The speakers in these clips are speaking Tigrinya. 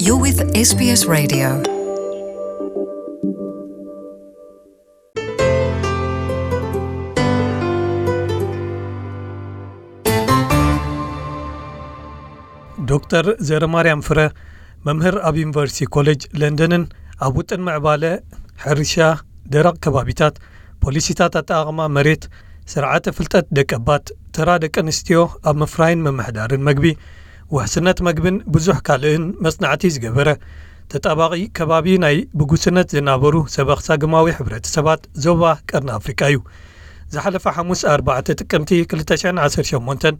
You're with S B S Radio. ዶክተር ዘረማርያም ፍረ፣ መምህር ኣብ ዩኒቨርሲቲ ኮሌጅ ለንደንን ኣብ ውጥን ምዕባለ፣ ሕርሻ፣ ደረቕ ከባቢታት፣ ፖሊሲታት ኣጠቓቕማ መሬት፣ ስርዓተ ፍልጠት ደቀባት፣ ተራ ደቂ ኣንስትዮ ኣብ ምፍራይን ምምሕዳርን መግቢ፣ ውሕስነት መግብን ብዙሕ ካልእን መጽናዕቲ ዝገበረ፣ ተጣባቒ ከባቢ ናይ ብጉስነት ዝናበሩ ሰበኽ ሳግማዊ ሕብረተሰባት ዞባ ቀርኒ ኣፍሪቃ እዩ። ዝሓለፈ ሓሙስ ኣርባዕተ ጥቅምቲ ክልተ ሽሕን ዓሰርተ ሸሞንተን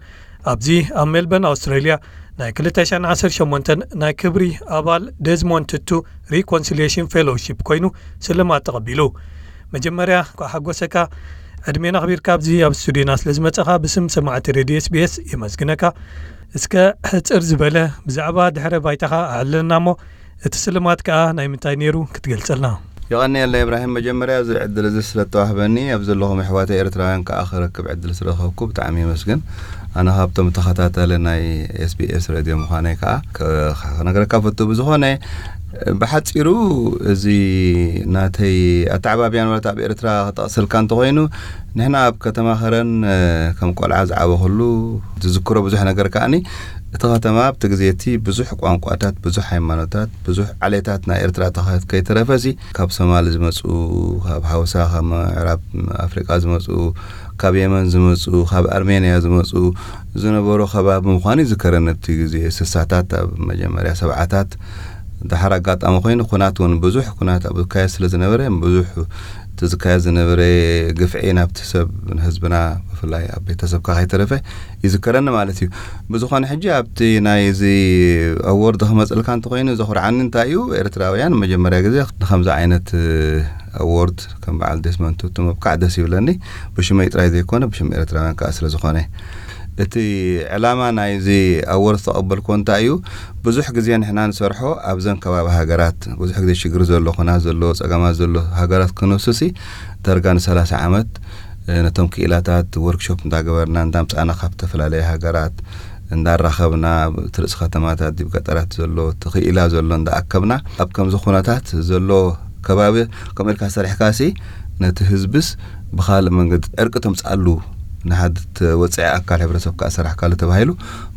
ኣብዚ ኣብ ሜልበርን ኣውስትራልያ ናይ ክልተ ሽሕን ዓሰርተ ሸሞንተን ናይ ክብሪ ኣባል ዴዝሞንድ ቱቱ ሪኮንሲሊየሽን ፌሎውሺፕ ኮይኑ ስልማት ተቐቢሉ። መጀመርያ እንኳዕ ሓጎሰካ። ዕድሜና ኣኽቢርካ ኣብዚ ኣብ ስቱዲዮና ስለ ዝመጸኻ ብስም ሰማዕቲ ሬድዮ ኤስ ቢ ኤስ የመስግነካ። እስከ ሕጽር ዝበለ ብዛዕባ ድሕረ ባይታኻ ኣዕልለና እሞ፣ እቲ ስልማት ከኣ ናይ ምንታይ ነይሩ ክትገልጸልና? የቐንየለይ እብራሂም፣ መጀመርያ እዚ ዕድል እዚ ስለ እተዋህበኒ፣ ኣብ ዘለኹም ኣሕዋተይ ኤርትራውያን ከኣ ክረክብ ዕድል ስለ ረኸብኩ ብጣዕሚ የመስግን። ኣነ ካብቶም ተኸታተሊ ናይ ኤስ ቢ ኤስ ሬድዮ ምዃነይ ከኣ ክ-፣ ክነግረካ ፈቱ። ብዝኾነ፣ ብሓጺሩ እዚ ናተይ ኣተዓባብያ ንብረት ኣብ ኤርትራ ክጠቕሰልካ እንተኾይኑ፣ ንሕና ኣብ ከተማ ከረን፣ እ፣ ከም ቆልዓ ዝዓበኹሉ ዝዝክሮ ብዙሕ ነገር ከኣኒ፣ እቲ ከተማ ኣብቲ ግዜ እቲ ብዙሕ ቋንቋታት፣ ብዙሕ ሃይማኖታት፣ ብዙሕ ዓሌታት ናይ ኤርትራ ተኸ-፣ ከይተረፈሲ፣ ካብ ሶማል ዝመጹ፣ ካብ ሃውሳ፣ ካብ ምዕራብ ኣፍሪቃ ዝመጹ፣ ካብ የመን ዝመጹ፣ ካብ ኣርሜንያ ዝመጹ ዝነበሩ ከባቢ ምዃኑ ይዝከረኒ። ኣብቲ ግዜ ስሳታት፣ ኣብ መጀመርያ ሰብዓታት፣ ደሓር ኣጋጣሚ ኮይኑ፣ ኩናት እውን ብዙሕ ኩናት ኣብ ዝካየድ ስለ ዝነበረ፣ ብዙሕ እቲ ዝካየድ ዝነበረ ግፍዒ ናብቲ ሰብ፣ ንህዝብና፣ ብፍላይ ኣብ ቤተሰብካ ከይተረፈ ይዝከረኒ ማለት እዩ። ብዝኾነ፣ ሕጂ ኣብቲ ናይ እዚ ኣዎርድ ክመጽልካ እንተኾይኑ፣ ዘኹርዓኒ እንታይ እዩ፣ ኤርትራውያን መጀመርያ ግዜ ንኸምዚ ዓይነት፣ እ፣ ኣዎርድ ከም በዓል ዴስመንድ ቱቱ ምብቃዕ ደስ ይብለኒ። ብሽመይ ጥራይ ዘይኮነ፣ ብሽም ኤርትራውያን ከኣ ስለ ዝኾነ። እቲ ዕላማ ናይዚ ኣዎርድ ዝተቐበልኩዎ እንታይ እዩ፣ ብዙሕ ግዜ ንሕና ንሰርሖ ኣብዘን ከባቢ ሃገራት፣ ብዙሕ ግዜ ሽግር ዘሎ፣ ኩናት ዘለዎ፣ ጸገማት ዘሎ ሃገራት ክንሱሲ፣ ዳርጋ ንሰላሳ ዓመት፣ እ፣ ነቶም ክኢላታት ወርክሾፕ እንዳገበርና፣ እንዳምጻእና ካብ ዝተፈላለየ ሃገራት እንዳራኸብና፣ እቲ ርእሲ ከተማታት፣ ዲብ ገጠራት ዘሎ፣ እቲ ክኢላ ዘሎ እንዳኣከብና፣ ኣብ ከምዚ ኩነታት ዘሎ ከባቢ ከምኡ ኢልካ ሰሪሕካሲ፣ ነቲ ህዝብስ ብኻልእ መንገዲ ዕርቂ ተምጽኣሉ፣ ንሓደ ወጽዒ ኣካል ሕብረተሰብ ከኣ ሰራሕካሉ ተባሂሉ፣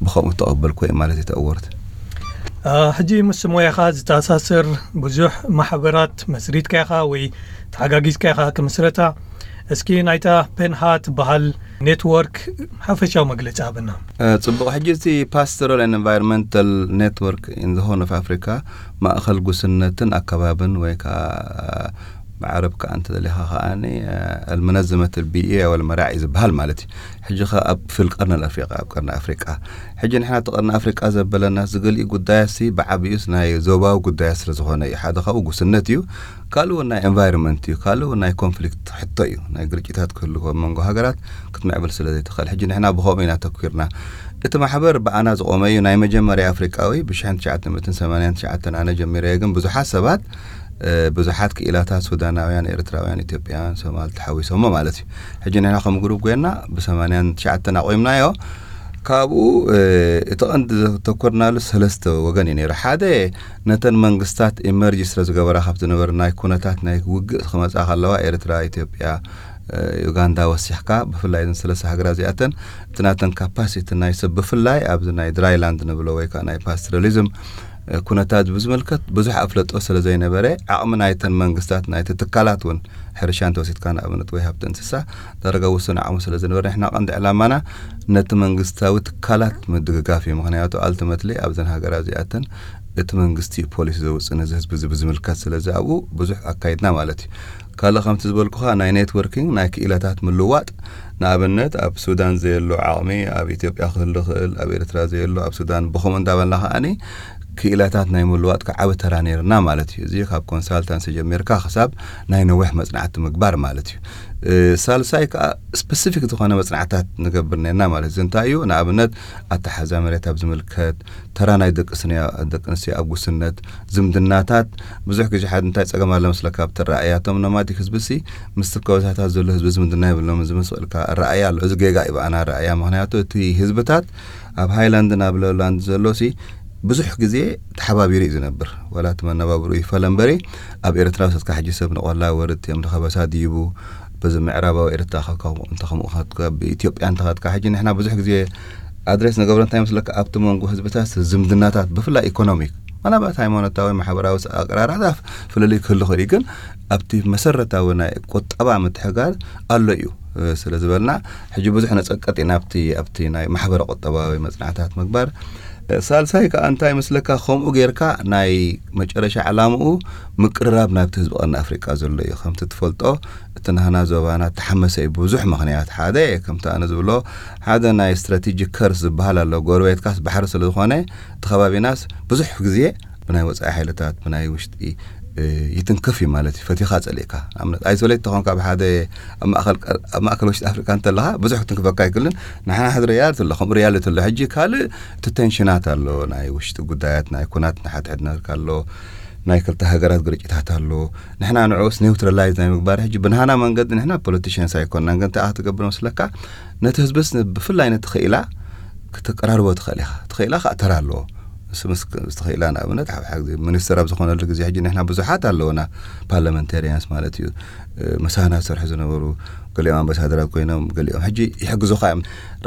ብኸምኡ ተቐበልኩ እየ ማለት እዩ እቲ ኣዎርድ። አ፣ ሕጂ ምስ ሞያኻ ዝተኣሳሰር ብዙሕ ማሕበራት መስሪትካ ኢኻ ወይ ተሓጋጊዝካ ኢኻ ክምስረታ። እስኪ ናይታ ፔንሃ ትበሃል ኔትወርክ ሓፈሻዊ መግለጺ ሃበና። እ፣ ጽቡቕ። ሕጂ እቲ ፓስቶራል ኤንድ ኤንቫይሮንመንታል ኔትወርክ ኢን ዘ ሆርን ኦፍ ኣፍሪካ፣ ማእኸል ጉስነትን ኣከባብን ወይ ከዓ ብዓረብ ከኣ እንተደሊኻ ከኣኒ፣ እ፣ ኣልመነዘመት ኣልቢኢያ ወልመራዒ ዝበሃል ማለት እዩ። ሕጂ ኸ ኣብ ክፍል ቀርኒ ኣፍሪቃ፣ ኣብ ቀርኒ ኣፍሪቃ። ሕጂ ንሕና እቲ ቀርኒ ኣፍሪቃ ዘበለና ዝገሊኡ ጉዳያሲ ብዓቢኡስ ናይ ዞባዊ ጉዳያት ስለ ዝኾነ እዩ። ሓደ ካብኡ ጉስነት እዩ። ካልእ እውን ናይ ኤንቫይሮንመንት እዩ። ካልእ እውን ናይ ኮንፍሊክት ሕቶ እዩ። ናይ ግርጭታት ክህሉ ኣብ መንጎ ሃገራት ክትምዕብል ስለ ዘይትኽእል። ሕጂ ንሕና ብኸምኡ ኢና ተኲርና። እቲ ማሕበር ብኣና ዝቖመ እዩ። ናይ መጀመርያ ኣፍሪቃዊ ብሽሕን ትሽዓተ ሚእትን ሰማንያን ትሽዓተን ኣነ ጀሚረዮ፣ ግን ብዙሓት ሰባት፣ እ፣ ብዙሓት ክኢላታት ሱዳናውያን፣ ኤርትራውያን፣ ኢትዮጵያውያን፣ ሶማል ተሓዊሶሞ ማለት እዩ። ሕጂ ንሕና ከም ግሩፕ ኮይና ብሰማንያን ትሽዓተን ኣቑምናዮ። ካብኡ፣ እ፣ እቲ ቀንዲ ዘተኮርናሉ ሰለስተ ወገን እዩ ነይሩ። ሓደ፣ ነተን መንግስታት ኢመርጅ ስለ ዝገበራ፣ ካብ ዝነበረ ናይ ኩነታት ናይ ውግእ ክመጻ ከለዋ፣ ኤርትራ፣ ኢትዮጵያ፣ እ፣ ዩጋንዳ ወሲኽካ፣ ብፍላይ እዘን ሰለስተ ሃገራት እዚኣተን፣ እቲ ናተን ካፓሲቲ ናይ ሰብ፣ ብፍላይ ኣብዚ ናይ ድራይላንድ ንብሎ ወይ ከዓ ናይ ፓስቶራሊዝም፣ እ፣ ኩነታት ብዝምልከት ብዙሕ ኣፍለጦ ስለ ዘይነበረ፣ ዓቕሚ ናይተን መንግስታት፣ ናይቲ ትካላት እውን፣ ሕርሻ እንተወሲድካ ንኣብነት፣ ወይ ሃብቲ እንስሳ፣ ዳርጋ ውሱን ዓቕሚ ስለ ዝነበረ፣ ንሕና ቀንዲ ዕላማና ነቲ መንግስታዊ ትካላት ምድግጋፍ እዩ። ምኽንያቱ፣ ኣልቲመትሊ ኣብዘን ሃገራት እዚኣተን እቲ መንግስቲ እዩ ፖሊሲ ዘውፅእ ነዚ ህዝቢ እዚ ብዝምልከት። ስለዚ ኣብኡ ብዙሕ ኣካይድና ማለት እዩ። ካልእ ከምቲ ዝበልኩኻ ናይ ኔትወርኪንግ፣ ናይ ክኢላታት ምልዋጥ፣ ንኣብነት ኣብ ሱዳን ዘየሎ ዓቕሚ ኣብ ኢትዮጵያ ክህሉ ይኽእል፣ ኣብ ኤርትራ ዘየሎ ኣብ ሱዳን፣ ብኸምኡ እንዳበልና ከኣኒ ክኢላታት ናይ ምልዋጥ ከዓቢ ተራ ነይርና ማለት እዩ። እዚ ካብ ኮንሳልታንሲ ጀሚርካ ክሳብ ናይ ነዊሕ መጽናዕቲ ምግባር ማለት እዩ። እ፣ ሳልሳይ ከኣ ስፐሲፊክ ዝኾነ መጽናዕታት ንገብር ነርና ማለት እዩ። እዚ እንታይ እዩ? ንኣብነት ኣተሓዛ መሬት ኣብ ዝምልከት፣ ተራ ናይ ደቂ ስንያ-፣ ደቂ ኣንስትዮ ኣብ ጉስነት፣ ዝምድናታት፣ ብዙሕ ግዜ ሓደ እንታይ ጸገም ኣሎ መስለካ ኣብቲ ኣረኣእያ፣ እቶም ኖማዲክ ህዝብሲ ምስቲ ኣብ ከበሳታት ዘሎ ህዝቢ ዝምድና የብሎምን ዝመስለካ ኣረኣእያ ኣሎ። እዚ ጌጋ እዩ ብኣና ኣረኣእያ። ምኽንያቱ እቲ ህዝብታት ኣብ ሃይላንድን ኣብ ሎውላንድ ዘሎሲ ብዙሕ ግዜ ተሓባቢሩ እዩ ዝነብር። ዋላ እቲ መነባብሩ ይፈለ እምበሪ፣ ኣብ ኤርትራ ውሰድካ ሕጂ ሰብ ንቆላ ወርድ እዮም ንኸበሳ ድይቡ፣ በዚ ምዕራባዊ ኤርትራ ካብ ከምኡ እንተ ከምኡ ከትካ፣ ብኢትዮጵያ እንተ ከትካ፣ ሕጂ ንሕና ብዙሕ ግዜ ኣድሬስ ንገብሮ እንታይ መስለካ፣ ኣብቲ መንጎ ህዝብታት ዝምድናታት ብፍላይ ኢኮኖሚክ፣ ምናልባት ሃይማኖታዊ፣ ማሕበራዊ ኣቀራራታት ፍልልይ ክህሉ ይኽእል እዩ፣ ግን ኣብቲ መሰረታዊ ናይ ቁጠባ ምትሕጋር ኣሎ እዩ። ስለ ዝበልና ሕጂ ብዙሕ ነጸቀጥ ኢና ኣብቲ ኣብቲ ናይ ማሕበረ ቁጠባዊ መጽናዕታት ምግባር። ሳልሳይ ከኣ እንታይ መስለካ፣ ከምኡ ጌርካ ናይ መጨረሻ ዕላምኡ ምቅርራብ ናብቲ ህዝቢ ቀርኒ ኣፍሪቃ ዘሎ እዩ። ከምቲ ትፈልጦ እቲ ናህና ዞባና ተሓመሰ እዩ ብዙሕ ምኽንያት። ሓደ ከምቲ ኣነ ዝብሎ ሓደ ናይ ስትራቴጂክ ከርስ ዝበሃል ኣሎ። ጎረቤትካስ ባሕሪ ስለ ዝኾነ እቲ ከባቢናስ ብዙሕ ግዜ ብናይ ወጻኢ ሓይልታት ብናይ ውሽጢ እ፣ ይትንክፍ እዩ ማለት እዩ። ፈቲኻ ጸሊእካ ንኣብነት ኣይሶሌት ተኾንካ ብሓደ ኣብ ማእከል ቀር- ኣብ ማእከል ውሽጢ ኣፍሪቃ እንተለኻ ብዙሕ ክትንክፈካ ኣይክልን። ንሕና ሕዚ ሪያል ትሎ ከምኡ ሪያል ትሎ ሕጂ ካልእ እቲ ቴንሽናት ኣሎ። ናይ ውሽጢ ጉዳያት ናይ ኩናት ንሓድሕድ ነርካ ኣሎ። ናይ ክልተ ሃገራት ግርጭታት ኣሎ። ንሕና ንዕኡስ ኒውትራላይዝ ናይ ምግባር ሕጂ ብንሃና መንገዲ ንሕና ፖለቲሽንስ ኣይኮንናን፣ ግን እንታይ ክትገብር መስለካ ነቲ ህዝብስ ን- ብፍላይ ነቲ ክኢላ ክትቀራርቦ ትኽእል ኢኻ። ትኽኢላ ከዓ ተራ ኣለዎ። ምስ ምስ- ምስ ትኽኢላ ንኣብነት ሓ- ሓ- ሚኒስትር ኣብ ዝኾነሉ ግዜ ሕጂ ንሕና ብዙሓት ኣለውና ፓርላመንታሪያንስ ማለት እዩ። እ፣ ምሳና ዝሰርሑ ዝነበሩ ገሊኦም ኣምባሳደራት ኮይኖም ገሊኦም ሕጂ ይሕግዙኻ እዮም።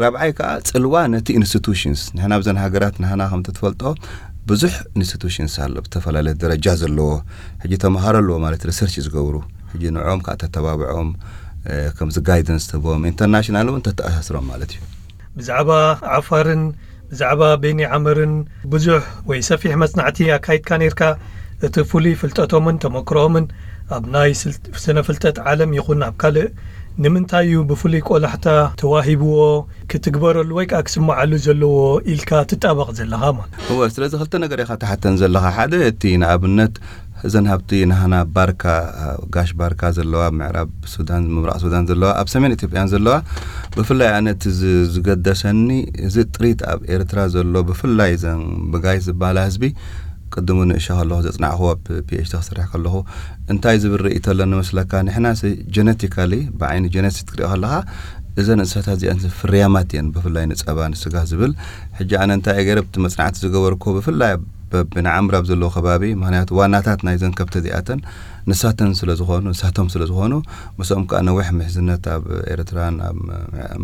ራብዓይ ከዓ ጽልዋ ነቲ ኢንስቲቱሽንስ ንሕና ኣብዘን ሃገራት ንሕና ከምቲ ትፈልጦ ብዙሕ ኢንስቲቱሽንስ ኣሎ ብዝተፈላለየ ደረጃ ዘለዎ። ሕጂ ተምሃሮ ኣለዎ ማለት ሪሰርች ዝገብሩ ሕጂ ንዕኦም ከዓ ተተባብዖም እ፣ ከምዚ ጋይደንስ ትህቦም ኢንተርናሽናል እውን ተተኣሳስሮም ማለት እዩ። ብዛዕባ ዓፋርን ብዛዕባ ቤኒ ዓመርን ብዙሕ ወይ ሰፊሕ መጽናዕቲ ኣካይድካ ነርካ። እቲ ፍሉይ ፍልጠቶምን ተመክሮኦምን ኣብ ናይ ስነ ፍልጠት ዓለም ይኹን ኣብ ካልእ ንምንታይ እዩ ብፍሉይ ቆላሕታ ተዋሂብዎ ክትግበረሉ ወይ ከዓ ክስምዓሉ ዘለዎ ኢልካ ትጣበቕ ዘለኻ ማለት? እወ፣ ስለዚ ክልተ ነገር ኢኻ ትሓተን ዘለኻ። ሓደ እቲ ንኣብነት እዘን ሃብቲ ናህና ባርካ፣ ጋሽ ባርካ ዘለዋ ምዕራብ ሱዳን፣ ምብራቕ ሱዳን ዘለዋ፣ ኣብ ሰሜን ኢትዮጵያን ዘለዋ፣ ብፍላይ ኣነ እቲ ዝ- ዝገደሰኒ እዚ ጥሪት ኣብ ኤርትራ ዘሎ ብፍላይ እዘን ብጋይት ዝበሃላ ህዝቢ ቅድሙ ንእሻ ከለኹ ዘጽናዕኹ ኣብ ፒኤችዲ ክሰርሕ ከለኹ እንታይ ዝብል ርእይቶ ኣለኒ መስለካ? ንሕና ጀነቲካሊ ብዓይኒ ጀነቲክ ክትሪኦ ከለኻ እዘን እንስሳታት እዚኣን ፍርያማት እየን፣ ብፍላይ ንጸባ ንስጋ ዝብል። ሕጂ ኣነ እንታይ ገይረ ብቲ መጽናዕቲ ዝገበርኩ ብፍላይ በብንዓምር ኣብ ዘለዎ ከባቢ፣ ምክንያቱ ዋናታት ናይዘን ከብቲ እዚኣተን ንሳተን ስለ ዝኾኑ ንሳቶም ስለ ዝኾኑ ምስኦም ከዓ ነዊሕ ምሕዝነት ኣብ ኤርትራን ኣብ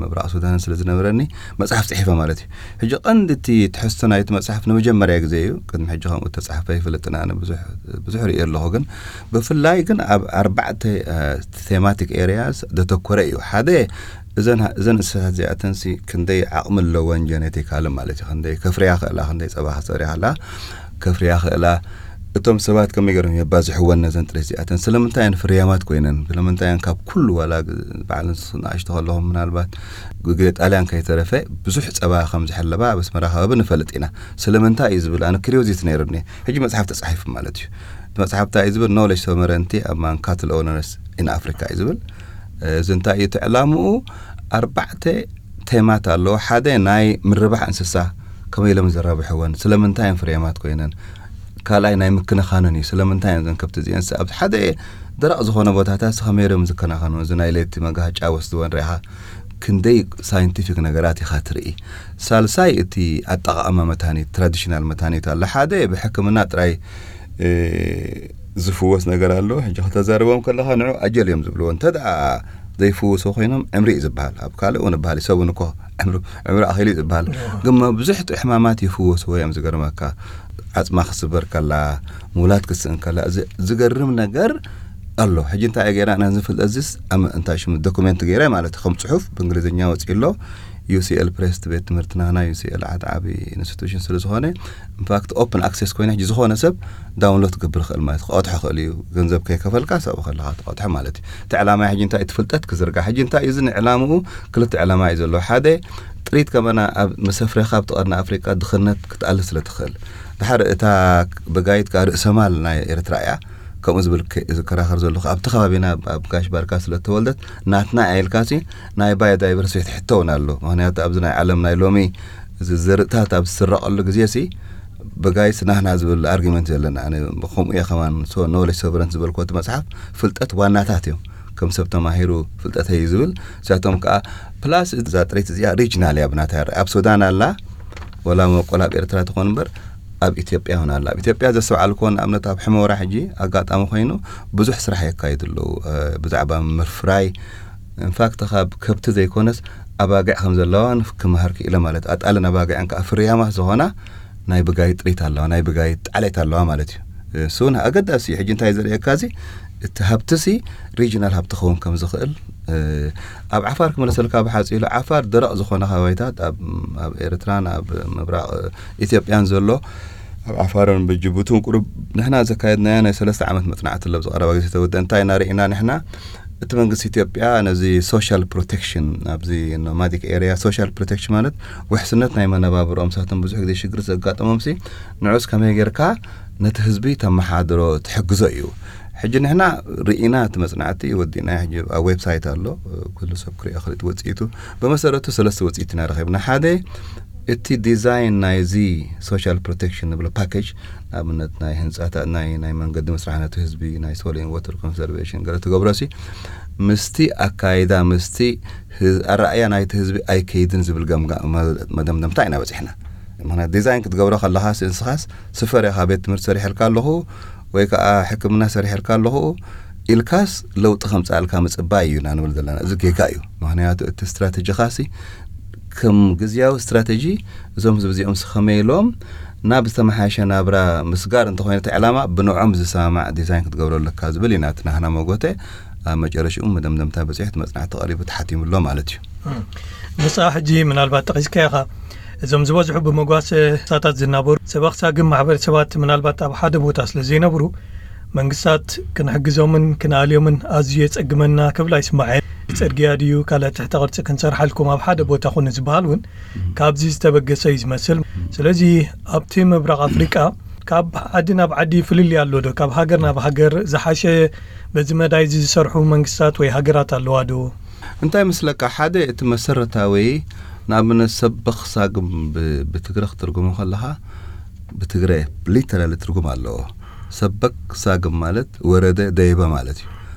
ምብራቕ ሱዳንን ስለ ዝነበረኒ መጽሓፍ ጽሒፈ ማለት እዩ። ሕጂ ቀንዲ እቲ ትሕዝቶ ናይቲ መጽሓፍ ንመጀመርያ ግዜ እዩ። ቅድሚ ሕጂ ከምኡ ተጻሕፈ ይፈልጥን ኣነ ብዙሕ ብዙሕ ርእየ ኣለኹ፣ ግን ብፍላይ ግን ኣብ ኣርባዕተ ቴማቲክ ኤሪያስ ዘተኮረ እዩ። ሓደ እዘን እዘን እንስሳታት እዚኣተንሲ ክንደይ ዓቕሚ ኣለወን ጀነቲካሊ ማለት እዩ፣ ክንደይ ከፍርያ ክእላ፣ ክንደይ ፀባ ክፀርያ ክእላ ከፍርያ ክእላ። እቶም ሰባት ከመይ ገይሮም የባዝሕወን ነዘን ጥሪት እዚኣተን? ስለምንታይ እየን ፍርያማት ኮይነን? ስለምንታይ እየን ካብ ኩሉ ዋላ በዓል ንኣሽቶ ከለኹም ምናልባት ግዜ ጣልያን ከይተረፈ ብዙሕ ፀባ ከም ዝሕለባ ኣብ ኣስመራ ከባቢ ንፈልጥ ኢና። ስለምንታይ እዩ ዝብል ኣነ ክሪዮዚቲ ነይሩኒ። ሕጂ መፅሓፍ ተፃሒፉ ማለት እዩ። እቲ መፅሓፍ እንታይ እዩ ዝብል? ኖሌጅ ሶቨረንቲ ኣማንግ ካትል ኦነርስ ኢን ኣፍሪካ እዩ ዝብል። እዚ እንታይ እዩ እቲ ዕላምኡ? ኣርባዕተ ቴማት ኣለዎ። ሓደ ናይ ምርባሕ እንስሳ ከመይ ኢሎም ዘራብሕወን፣ ስለምንታይ እየን ፍሬማት ኮይነን። ካልኣይ ናይ ምክንኻነን እዩ። ስለምንታይ እየን ዘን ከብቲ እዚአን ኣብ ሓደ ደረቕ ዝኾነ ቦታታት ከመይ ኢሎም ዝከናኸኑ፣ እዚ ናይ ለይቲ መጋሃጫ ወስድወን ሪኢኻ ክንደይ ሳይንቲፊክ ነገራት ኢኻ ትርኢ። ሳልሳይ እቲ ኣጠቓቕማ መድሃኒት፣ ትራዲሽናል መድሃኒት ኣሎ። ሓደ ብሕክምና ጥራይ ዝፍወስ ነገር ኣሎ። ሕጂ ከተዛርቦም ከለኻ ንዑ ኣጀል እዮም ዝብልዎ። እንተ ደኣ ዘይፍውሶ ኮይኖም ዕምሪ እዩ ዝበሃል። ኣብ ካልእ እውን ይበሃል፣ ሰብ እውን እኮ ዕምሩ ዕምሩ ኣኺሉ እዩ ዝበሃል። ግን መብዝሕትኡ ሕማማት ይፍወስዎ እዮም። ዝገርመካ፣ ዓጽማ ክስበር ከላ፣ ምውላድ ክትስእን ከላ፣ እዚ ዝገርም ነገር ኣሎ። ሕጂ እንታይ እየ ገይረ ኣነ ዝፍልጠት እዚስ ኣም- እንታይ ሽሙ ዶኩሜንት ገይረ ማለት ከም ጽሑፍ ብእንግሊዝኛ ወጺኡ ኣሎ። ዩሲኤል ፕሬስ ቤት ትምህርትና ናይ ዩሲኤል ዓድ ዓቢ ኢንስቲቱሽን ስለ ዝኾነ ኢንፋክት ኦፕን ኣክሴስ ኮይነ ሕጂ ዝኾነ ሰብ ዳውንሎድ ክገብር ይኽእል ማለት ክቐድሖ ይኽእል እዩ። ገንዘብ ከይከፈልካ ሰብኡ ከለኻ ትቐድሖ ማለት እዩ። እቲ ዕላማ ሕጂ እንታይ እቲ ፍልጠት ክዝርጋ ሕጂ እንታይ እዩ እዚ ዕላምኡ ክልተ ዕላማ እዩ ዘለዎ። ሓደ ጥሪት ከመና ኣብ መሰፍሬኻ ኣብቲ ቀርኒ ኣፍሪቃ ድኽነት ክትኣሊ ስለ ትኽእል። ድሓር እታ ብጋይት ከኣ ርእሰማል ናይ ኤርትራ እያ። ከምኡ ዝብል ከ- ዝከራኸር ዘለኹ ኣብቲ ከባቢና ኣብ- ኣብ ጋሽ ባርካ ስለ ተወልደት ናትና ኣየልካሲ ናይ ባዮዳይቨርሲቲ ሕቶ እውን ኣሎ። ምክንያቱ ኣብዚ ናይ ዓለም ናይ ሎሚ እዚ ዘርእታት ኣብ ዝስረቐሉ ግዜ ሲ ብጋይስ ናህና ዝብል ኣርጊመንት ዘለና ኣነ ከምኡ እየ ከማን ኖሌጅ ሶቨረንት ዝበልኩ እቲ መፅሓፍ ፍልጠት ዋናታት እዮም። ከም ሰብ ተማሂሩ ፍልጠተይ እዩ ዝብል እዚኣቶም ከዓ ፕላስ እዛ ጥሪት እዚኣ ሪጅናል እያ ብናታ ኣብ ሱዳን ኣላ ወላ መበቆል ኣብ ኤርትራ ትኾን እምበር ኣብ ኢትዮጵያ እውን ኣሎ። ኣብ ኢትዮጵያ ዘስተውዓልኩዎ ንኣብነት ኣብ ሕመራ ሕጂ ኣጋጣሚ ኮይኑ ብዙሕ ስራሕ የካይዱ ኣለዉ። ብዛዕባ ምፍራይ ኢንፋክት ካብ ከብቲ ዘይኮነስ ኣባጊዕ ከም ዘለዋ ክመሃር ክኢለ ማለት ኣጣልን ኣባጊዕን ከዓ ፍርያማት ዝኾና ናይ ብጋይ ጥሪት ኣለዋ፣ ናይ ብጋይ ጣዕሌት ኣለዋ ማለት እዩ። እሱ ኣገዳሲ እዩ። ሕጂ እንታይ ዘርእየካ እዚ እቲ ሃብትሲ ሪጂናል ሃብቲ ክኸውን ከም ዝኽእል ኣብ ዓፋር ክመለሰልካ ብሓፂሉ ዓፋር ደረቕ ዝኾነ ከባቢታት ኣብ ኤርትራን ኣብ ምብራቕ ኢትዮጵያን ዘሎ ኣብ ዓፋርን ብጅቡትን ቁሩብ ንሕና ዘካየድናዮ ናይ ሰለስተ ዓመት መፅናዕቲ ኣሎ ዝቐረባ ግዜ ተወደ እንታይ ኢና ርኢና ንሕና እቲ መንግስቲ ኢትዮጵያ ነዚ ሶሻል ፕሮቴክሽን ኣብዚ ኖማዲክ ኤሪያ ሶሻል ፕሮቴክሽን ማለት ውሕስነት ናይ መነባብሮኦም ሳቶም ብዙሕ ግዜ ሽግር ዘጋጠሞም ሲ ንዑስ ከመይ ጌርካ ነቲ ህዝቢ ተመሓድሮ ትሕግዞ እዩ። ሕጂ ንሕና ርኢና እቲ መፅናዕቲ ወዲእና ሕጂ ኣብ ዌብሳይት ኣሎ ኩሉ ሰብ ክሪኦ ክልጥ ወፅኢቱ ብመሰረቱ ሰለስተ ወፅኢት ኢና ረኺብና ሓደ እቲ ዲዛይን ናይዚ ሶሻል ፕሮቴክሽን ንብሎ ፓኬጅ ንኣብነት ናይ ህንፃታት ናይ ናይ መንገዲ መስራሕ ነቲ ህዝቢ ናይ ሶሊን ወተር ኮንሰርቬሽን ገለ ትገብሮ ሲ ምስቲ ኣካይዳ ምስቲ ኣረኣያ ናይቲ ህዝቢ ኣይከይድን ዝብል ገምጋ መደምደምታ ኢና በፂሕና። ምክንያት ዲዛይን ክትገብሮ ከለኻ ንስኻስ ስፈር ኢኻ ቤት ትምህርቲ ሰሪሐልካ ኣለኹ ወይ ከዓ ሕክምና ሰሪሐልካ ኣለኹ ኢልካስ ለውጢ ከምፃልካ ምፅባይ እዩ ኢና ንብል ዘለና። እዚ ጌጋ እዩ። ምክንያቱ እቲ ስትራተጂኻሲ ከም ግዝያዊ ስትራተጂ እዞም ህዝቢ እዚኦም ስኸመይ ኢሎም ናብ ዝተመሓሸ ናብራ ምስጋር እንተኾይነ እቲ ዕላማ ብንዖም ዝሰማማዕ ዲዛይን ክትገብሮ ኣለካ ዝብል ኢና እቲ ናህና መጎተ ኣብ መጨረሽኡ መደምደምታ በፂሑ እቲ መፅናዕቲ ቀሪቡ ተሓቲሙ ኣሎ ማለት እዩ። ንሳ ሕጂ ምናልባት ጠቒስካ ኢኻ እዞም ዝበዝሑ ብመጓሰ ሳታት ዝናበሩ ሰበኽሳ ግን ማሕበረሰባት ምናልባት ኣብ ሓደ ቦታ ስለ ዘይነብሩ መንግስታት ክንሕግዞምን ክንኣልዮምን ኣዝዩ የጸግመና ክብል ኣይስማዐ። ጽርግያ ድዩ ካልእ ትሕተ ቅርጺ ክንሰርሓልኩም ኣብ ሓደ ቦታ ኩኑ ዝበሃል እውን ካብዚ ዝተበገሰ እዩ ዝመስል። ስለዚ ኣብቲ ምብራቕ ኣፍሪቃ ካብ ዓዲ ናብ ዓዲ ፍልልይ ኣሎ ዶ? ካብ ሃገር ናብ ሃገር ዝሓሸ በዚ መዳይ እዚ ዝሰርሑ መንግስታት ወይ ሃገራት ኣለዋ ዶ? እንታይ ምስለካ ሓደ እቲ መሰረታዊ ንኣብነት ሰበኽ ሳግም ብትግረ ክትርጉሞ ከለኻ ብትግረ ሊተራሊ ትርጉም ኣለዎ። ሰበክ ሳግም ማለት ወረደ ደይበ ማለት እዩ።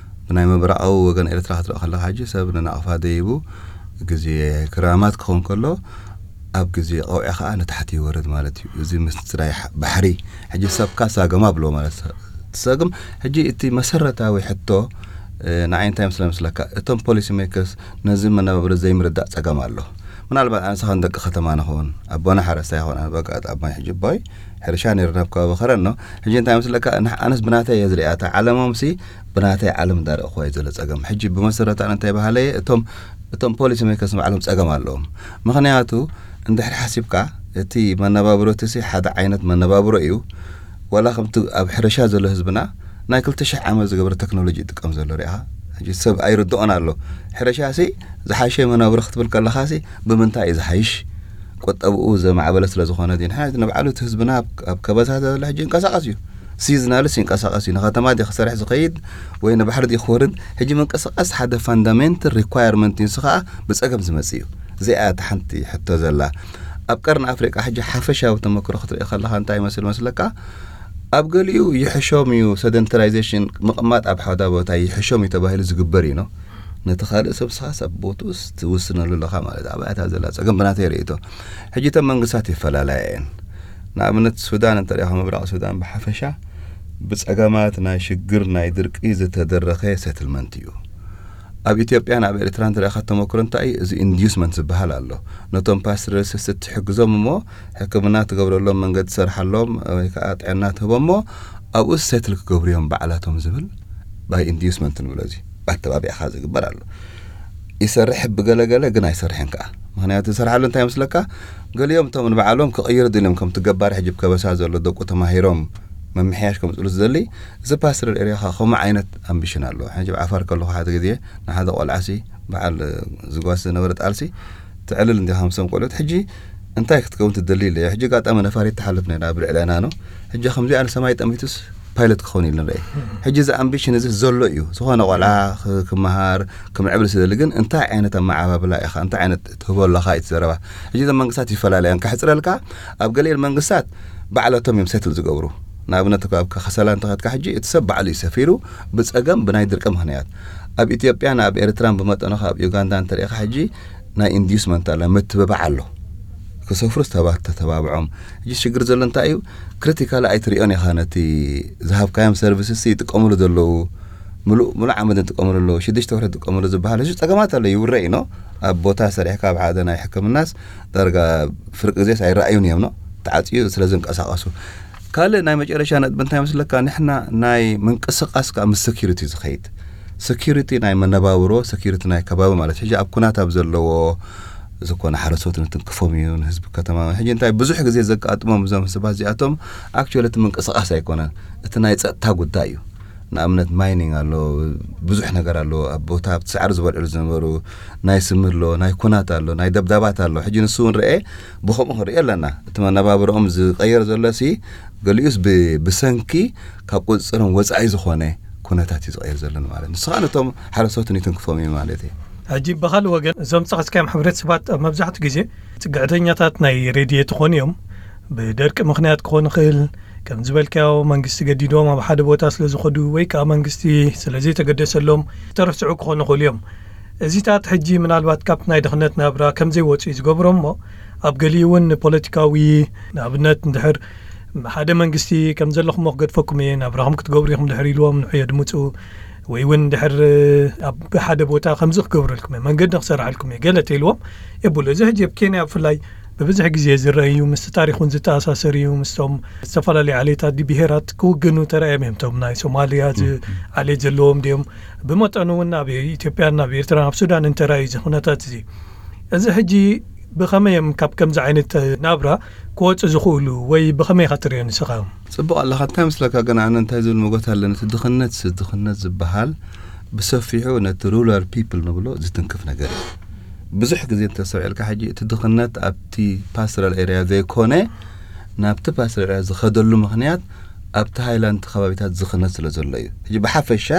ብናይ ምብራቓዊ ወገን ኤርትራ ክትርኢ ከለኻ ሕጂ ሰብ ንናቕፋ ደይቡ ግዜ ክራማት ክኸውን ከሎ ኣብ ግዜ ቀውዒ ከዓ ንታሕቲ ይወርድ ማለት እዩ። እዚ ምስራይ ባሕሪ ሕጂ ሰብካ ሳገማ ብሎ ማለት ትሰግም። ሕጂ እቲ መሰረታዊ ሕቶ ንዓይ እንታይ ምስለ ምስለካ እቶም ፖሊሲ ሜከርስ ነዚ መነባብሮ ዘይምርዳእ ጸገም ኣሎ። ምናልባት ኣነስ ኸን ደቂ ከተማ ንኸውን ኣቦና ሓረስታይ ይኾን ኣነ በቃ ኣባይ ሕጂ ኣቦይ ሕርሻ ነይሩ ናብ ከባቢ ኸረኖ ሕጂ እንታይ ምስለካ ኣነስ ብናተይ እየ ዝሪኣታ ዓለሞም ሲ ብናተይ ዓለም እንዳረእኹዋ እዩ ዘሎ ጸገም። ሕጂ ብመሰረቱ ኣነ እንታይ ባህለየ እቶም እቶም ፖሊሲ ሜከርስ ባዕሎም ጸገም ኣለዎም። ምኽንያቱ እንድሕር ሓሲብካ እቲ መነባብሮ እቲ ሲ ሓደ ዓይነት መነባብሮ እዩ። ዋላ ከምቲ ኣብ ሕርሻ ዘሎ ህዝብና ናይ ክልተ ሽሕ ዓመት ዝገበረ ቴክኖሎጂ ይጥቀም ዘሎ ሪኢኻ። ሕጂ ሰብ ኣይርድኦን ኣሎ። ሕርሻ ሲ ዝሓሸ መነባብሮ ክትብል ከለኻ ሲ ብምንታይ እዩ ዝሓይሽ? ቁጠብኡ ዘማዕበለ ስለ ዝኾነ ድዩ? ንሕና ንባዕሉ እቲ ህዝብና ኣብ ከበሳ ዘሎ ሕጂ ይንቀሳቐስ እዩ። ሲዝናልስ ይንቀሳቐስ እዩ። ንከተማ ድዩ ክሰርሕ ዝኸይድ ወይ ንባሕሪ ድዩ ክወርድ? ሕጂ ምንቅስቓስ ሓደ ፋንዳሜንታል ሪኳየርመንት እዩ። ንሱ ከዓ ብፀገም ዝመፅእ እዩ። እዚኣ እታ ሓንቲ ሕቶ ዘላ ኣብ ቀርኒ ኣፍሪቃ ሕጂ ሓፈሻዊ ተመክሮ ክትርኢ ከለካ እንታይ ይመስል መስለካ? ኣብ ገሊኡ ይሕሾም እዩ ሰደንተራይዜሽን ምቕማጥ ኣብ ሓደ ቦታ ይሕሾም እዩ ተባሂሉ ዝግበር እዩ ነው። ነቲ ካልእ ሰብ ስኻ ሰብ ቦትኡስ ትውስነሉ ኣለኻ ማለት ኣብ ኣያታ ዘላ ጸገም ብናተይ ርእይቶ። ሕጂ እተን መንግስታት ይፈላለያ እየን። ንኣብነት ሱዳን እንተሪኢኻ ምብራቕ ሱዳን ብሓፈሻ ብጸገማት ናይ ሽግር ናይ ድርቂ ዝተደረኸ ሴትልመንት እዩ። ኣብ ኢትዮጵያን ኣብ ኤርትራን ትረእኻ ተመክሮ እንታይ እዩ? እዚ ኢንዲዩስመንት ዝበሃል ኣሎ። ነቶም ፓስቶራሊስት ትሕግዞም እሞ ሕክምና ትገብረሎም መንገዲ ትሰርሓሎም ወይ ከዓ ጥዕና ትህቦ እሞ ኣብኡ ሴትል ክገብሩ እዮም ባዕላቶም ዝብል ባይ ኢንዲዩስመንት ንብሎ እዚ ኣተባቢዕኻ ዝግበር ኣሎ። ይሰርሕ ብገለገለ ግን ኣይሰርሕን ከዓ ምክንያቱ ዝሰርሓሉ እንታይ መስለካ? ገሊኦም እቶም ንባዕሎም ክቕይሩ ድልዮም ከምቲ ገባር ሕጂ ከበሳ ዘሎ ደቁ ተማሂሮም መምሕያሽ ከምፅሉ ዝደሊ እዚ ፓስቶራል ኤሪያ ከዓ ከምኡ ዓይነት ኣምቢሽን ኣለዎ። ሕጂ ዓፋር ከለኹ ሓደ ግዜ ንሓደ ቆልዓሲ በዓል ዝጓስ ዝነበረ ጣልሲ ትዕልል እንዲኻ ምሰም ቆልዑት ሕጂ እንታይ ክትከውን ትደሊ ኢለ ሕጂ ጋጣሚ ነፋሪት ትሓልፍ ነይራ ኣብ ልዕለና ነው። ሕጂ ከምዚኣ ንሰማይ ጠሚቱስ ፓይለት ክኸውን ኢሉ ንርኢ። ሕጂ እዚ ኣምቢሽን እዚ ዘሎ እዩ። ዝኾነ ቆልዓ ክመሃር ክምዕብል ስደሊ ግን እንታይ ዓይነት ኣመዓባብላ ኢኻ እንታይ ዓይነት ትህቦ ኣለኻ እዩ ዘረባ። ሕጂ እዞም መንግስታት ይፈላለያን ከሕፅረልካ ኣብ ገሊኤን መንግስታት ባዕለቶም እዮም ሴትል ዝገብሩ። ንኣብነት ኣብ ከሰላ እንተኸድካ ሕጂ እቲ ሰብ ባዕሉ እዩ ሰፊሩ ብፀገም ብናይ ድርቂ ምክንያት ኣብ ኢትዮጵያን ኣብ ኤርትራን ብመጠኑ ካብ ዩጋንዳ እንተሪኢኻ ሕጂ ናይ ኢንዲስመንት ኣለ ምትብባዕ ኣሎ። ክሰፍሩ ዝተባ ተተባብዖም። ሕጂ ሽግር ዘሎ እንታይ እዩ? ክሪቲካሊ ኣይትሪኦን ኢኻ። ነቲ ዝሃብካዮም ሰርቪስስ ይጥቀምሉ ዘለዉ፣ ምሉእ ምሉእ ዓመት ይጥቀምሉ ኣለዉ፣ ሽዱሽተ ወርሒ ይጥቀምሉ ዝበሃል፣ እዚ ጸገማት ኣሎ፣ ይውረ እዩ ኖ። ኣብ ቦታ ሰሪሕካ ኣብ ሓደ ናይ ሕክምናስ ዳርጋ ፍርቂ ግዜስ ኣይረኣዩን እዮም ኖ፣ ተዓጽዩ ስለ ዝንቀሳቐሱ። ካልእ ናይ መጨረሻ ነጥቢ እንታይ መስለካ? ንሕና ናይ ምንቅስቓስ ከኣ ምስ ሴኪሪቲ ዝኸይድ፣ ሴኪሪቲ ናይ መነባብሮ፣ ሴኪሪቲ ናይ ከባቢ ማለት፣ ሕጂ ኣብ ኩናት ኣብ ዘለዎ ዝኾነ ሓረስቶት ንትንክፎም እዩ፣ ንህዝቢ ከተማ። ሕጂ እንታይ ብዙሕ ግዜ ዘጋጥሞም እዞም ሰባት እዚኣቶም፣ ኣክቹዋሊ እቲ ምንቅስቓስ ኣይኮነን፣ እቲ ናይ ጸጥታ ጉዳይ እዩ። ንኣብነት ማይኒንግ ኣሎ፣ ብዙሕ ነገር ኣሎ፣ ኣብ ቦታ ኣብቲ ሳዕሪ ዝበልዕሉ ዝነበሩ፣ ናይ ስሚ ኣሎ፣ ናይ ኩናት ኣሎ፣ ናይ ደብዳባት ኣሎ። ሕጂ ንሱ እውን ርኤ፣ ብኸምኡ ክንርኢ ኣለና። እቲ መነባብሮኦም ዝቐየር ዘሎ ሲ፣ ገሊኡስ ብ-፣ ብሰንኪ ካብ ቁጽጽሮም ወጻኢ ዝኾነ ኩነታት እዩ ዝቐየር ዘሎ ማለት። ንሱ ኸኣ ነቶም ሓረስቶት ንትንክፎም እዩ ማለት እዩ። ሕጂ ብኻልእ ወገን፣ እዞም ዝጠቐስካዮም ሕብረተሰባት ኣብ መብዛሕትኡ ግዜ ጽግዕተኛታት ናይ ረድኤት ይኾኑ እዮም። ብደርቂ ምኽንያት ክኾን ይኽእል፣ ከም ዝበልካዮ መንግስቲ ገዲዶም ኣብ ሓደ ቦታ ስለ ዝኸዱ ወይ ከኣ መንግስቲ ስለ ዘይተገደሰሎም ዝተረስዑ ክኾኑ ይኽእሉ እዮም። እዚታት ሕጂ ምናልባት ካብቲ ናይ ድኽነት ናብራ ከም ዘይወጹ እዩ ዝገብሮም እሞ፣ ኣብ ገሊኡ እውን ፖለቲካዊ፣ ንኣብነት እንድሕር ሓደ መንግስቲ ከም ዘለኹሞ ክገድፈኩም እየ፣ ናብራኹም ክትገብሩ ኢኹም ድሕር ኢልዎም ንዑ የድምጹ፣ ወይ እውን ድሕር ኣብ ሓደ ቦታ ከምዚ ክገብረልኩም እየ፣ መንገዲ ክሰርሓልኩም እየ፣ ገለ ተኢልዎም የብሉ። እዚ ሕጂ ኣብ ኬንያ ብፍላይ ብብዝሒ ግዜ ዝረአ እዩ፣ ምስቲ ታሪኽ እውን ዝተኣሳሰር እዩ፣ ምስቶም ዝተፈላለዩ ዓሌታት ድዩ ብሄራት ክውግኑ ተራእዮም እዮም። እቶም ናይ ሶማልያ ዝ-፣ ዓሌት ዘለዎም ድዮም? ብመጠኑ እውን ኣብ ኢትዮጵያን ኣብ ኤርትራን ኣብ ሱዳን እንተራእዩ እዚ ኩነታት እዚ፣ እዚ ሕጂ ብኸመይ እዮም ካብ ከምዚ ዓይነት ናብራ ክወፁ ዝኽእሉ ወይ ብኸመይ ኢኻ ትሪኦ ንስኻ? ጽቡቕ ኣለኻ። እንታይ ምስለካ ግን ኣነ እንታይ ዝብል መጎት ኣለኒ፣ እቲ ድኽነት ስ-፣ ድኽነት ዝበሃል ብሰፊሑ ነቲ ሩራል ፒፕል ንብሎ ዝትንክፍ ነገር እዩ። ብዙሕ ግዜ እንተስተውዒልካ ሕጂ እቲ ድኽነት ኣብቲ ፓስቶራል ኤርያ ዘይኮነ ናብቲ ፓስቶራል ኤርያ ዝኸደሉ ምኽንያት ኣብቲ ሃይላንድ ከባቢታት ዝኽነት ስለ ዘሎ እዩ። ሕጂ ብሓፈሻ፣